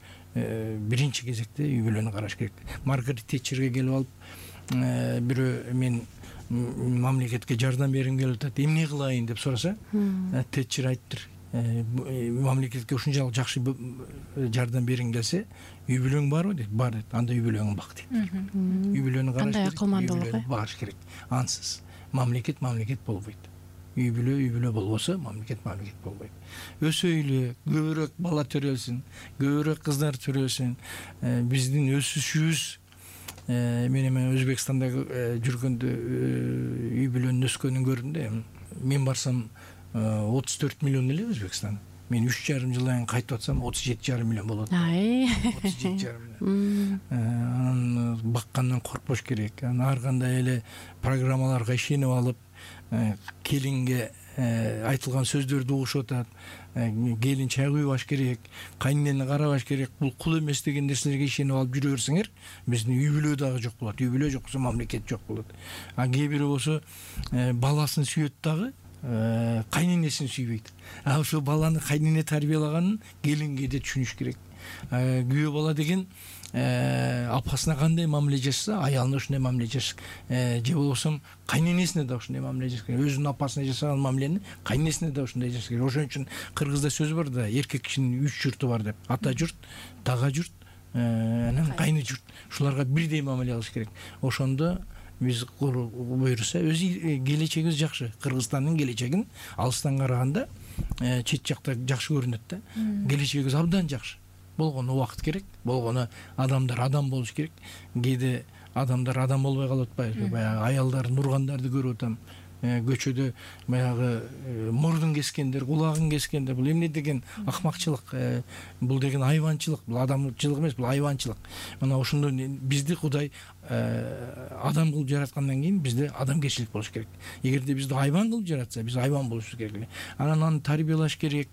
биринчи кезекте үй бүлөнү караш керек. Маргарет Тэтчерге келип алып, бирөө мен мамлекетке жардам бергим келип атат, эмне кылайын деп сураса, Тэтчер айттыр, мамлекетке ушунчалык жакшы жардам бергиң келсе, үй бүлөң барбы дейт. Бар дейт. Анда үй бүлөңүн бак дейт. Үй бүлөнү караш керек, үй бүлөнү багыш керек. Ансыз мамлекет мамлекет болбойт. Үй бүлө үй бүлө болбосо, мамлекет мамлекет болбойт. Өсөйлү, көбүрөөк бала төрөлсүн, көбүрөөк кыздар төрөлсүн. Биздин өсүшүбүз мен эми Өзбекстанда жүргөндө үй бүлөнүн өскөнүн көрдүм да. Мен барсам отуз төрт миллион эле Өзбекстан. Мен үч жарым жылдан кийин кайтып атсам отуз жети жарым миллион болот. отуз жети жарым миллион. Анан баккандан коркпош керек. Анан ар кандай эле программаларга ишенип алып, келинге айтылган сөздөрдү угушуп атат. Келин чай куйбаш керек, кайненени карабаш керек, бул кул эмес деген нерселерге ишенип алып жүрө берсеңер, биздин үй бүлө дагы жок болот. Үй бүлө жок болсо мамлекет жок болот. А кээ бири болсо баласын сүйөт дагы, кайненесин сүйбөйт. А ошо баланы кайнене тарбиялаганын келинге да түшүнүш керек. Күйөө бала деген апасына кандай мамиле жасаса, аялына ушундай мамиле жасаш, же болбосо кайненесине да ушундай мамиле жасаш керек. Өзүнүн апасына жасаган мамилени кайненесине да ушундай жасаш керек. Ошон үчүн кыргызда сөз бар да, эркек кишинин үч журту бар деп. Ата журт, тага журт, анан кайны журт. Ушуларга бирдей мамиле кылыш керек. Ошондо биз буйруса өзү келечегибиз жакшы. Кыргызстандын келечегин алыстан караганда чет жакта жакшы көрүнөт да. Келечегибиз абдан жакшы. Болгону убакыт керек, болгону адамдар адам болуш керек. Кээде адамдар адам болбой калып атпайбы? Баягы аялдардын ургандарды көрүп атам. Көчөдө баягы мурдун кескендер, кулагын кескендер, бул эмне деген акмакчылык, бул деген айванчылык, бул адамчылык эмес, бул айванчылык. Мына ошондо бизди Кудай адам кылып жараткандан кийин бизде адамгерчилик болуш керек. Эгерде бизди айван кылып жаратса, биз айван болушубуз керек. Анан аны тарбиялаш керек,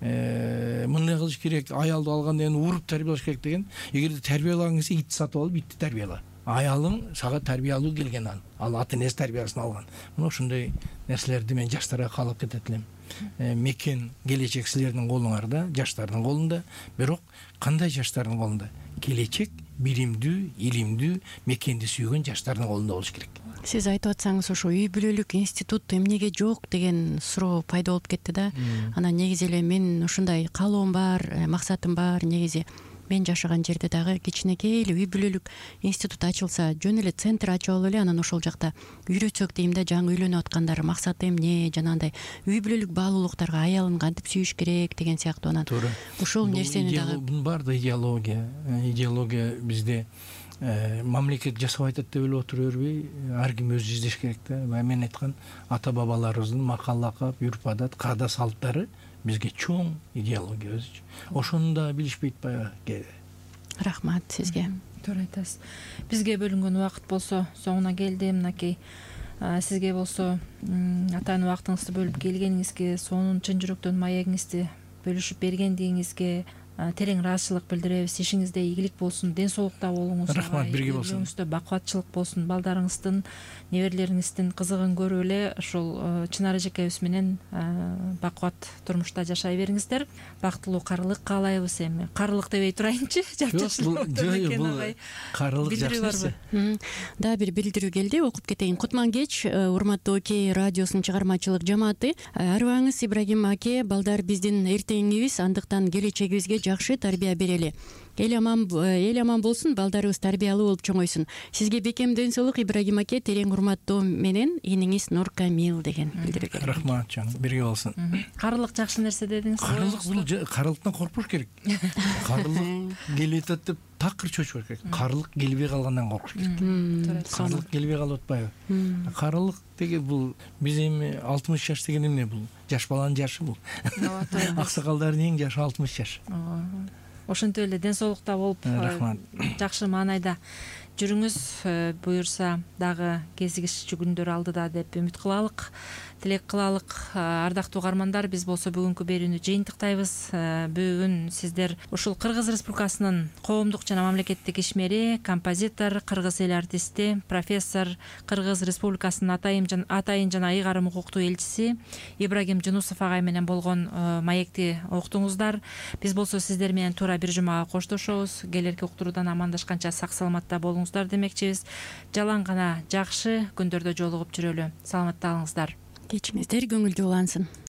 мындай кылыш керек, аялды алгандан кийин уруп тарбиялаш керек деген. Эгерде тарбиялагың келсе, итти сатып алып итти тарбияла. Аялың сага тарбиялуу келген ал. Ал ата энеси тарбиясын алган. Мына ушундай нерселерди мен жаштарга каалап кетет элем. Мекен келечек силердин колуңарда, жаштардын колунда. Бирок кандай жаштардын колунда? Келечек биримдүү, илимдүү, мекенди сүйгөн жаштардын колунда болуш керек. Сиз айтып атсаңыз, ошо үй бүлөлүк институт эмнеге жок деген суроо пайда болуп кетти да. Анан негизи эле мен ушундай каалоом бар, максатым бар. Негизи мен жашаган жерде дагы кичинекей эле үй бүлөлүк институт ачылса, жөн эле центр ачып алып эле, анан ошол жакта үйрөтсөк дейм да, жаңы үйлөнүп аткандар максаты эмне, жанагындай үй бүлөлүк баалуулуктарга аялын кантип сүйүш керек деген сыяктуу. Анан ошол нерсени дагы бар да, идеология. Идеология бизде мамлекет жасап айтат деп эле отура бербей, ар ким өзү издеш керек да. Мен айткан ата бабаларыбыздын макал лакап, үрп адат, каада салттары бизге чоң идеология өзүчө. Ошону да билишпейт баягы. Рахмат сизге. Туура айтасыз. Бизге бөлүнгөн убакыт болсо соңуна келди. Мынакей сизге болсо атайын убактыңызды бөлүп келгениңизге, сонун чын жүрөктөн маегиңизди бөлүшүп бергендигиңизге терең ыраазычылык билдиребиз. Ишиңизде ийгилик болсун, ден соолукта болуңуз. Рахмат, бирге болсун. Үйүңүздө бакубатчылык болсун, балдарыңыздын, неберелериңиздин кызыгын көрүп эле ошол Чынар эжекебиз менен бакубат турмушта жашай бериңиздер. Бактылуу карылык каалайбыз. Эми карылык дебей турайынчы. Бул карылык жакшы. Да, бир билдирүү келди, окуп кетейин. Кутман кеч, урматтуу Окей радиосунун чыгармачылык жамааты. Арыбаңыз Ибрагим аке, балдар биздин эртеңибиз, андыктан келечегибизге жакшы тарбия берели. Эл аман эл аман болсун, балдарыбыз тарбиялуу болуп чоңойсун. Сизге бекем ден соолук Ибрагим аке, терең урматтоо менен иниңиз Нур Камил деген билдирүү. Рахмат жан, бирге болсун. Карылык жакшы нерсе дедиңиз. Карылык бул карылыктан коркпош керек. Карылык келип атат деп такыр чочпош керек. Карылык келбей калгандан коркуш керек. Карылык келбей калып атпайбы? Карылык деген бул биз эми алтымыш жаш деген эмне бул? Жаш баланын жашы бул. Аксакалдардын эң жашы алтымыш жаш. Ошентип эле ден соолукта болуп, жакшы маанайда жүрүңүз, буюрса дагы кезигишчү күндөр алдыда деп үмүт кылалык, тилек кылалык. Ардактуу угармандар, биз болсо бүгүнкү берүүнү жыйынтыктайбыз. Бүгүн сиздер ушул Кыргыз Республикасынын коомдук жана мамлекеттик ишмери, композитор, кыргыз эл артисти, профессор, Кыргыз Республикасынын атайын жана ыйгарым укуктуу элчиси Ибрагим Жунусов агай менен болгон маекти уктуңуздар. Биз болсо сиздер менен туура бир жумага коштошобуз. Келерки уктуруудан амандашканча сак саламатта болуңуздар демекчибиз. Жалаң гана жакшы күндөрдө жолугуп жүрөлү. Саламатта калыңыздар. Кечиңиздер көңүлдүү улансын.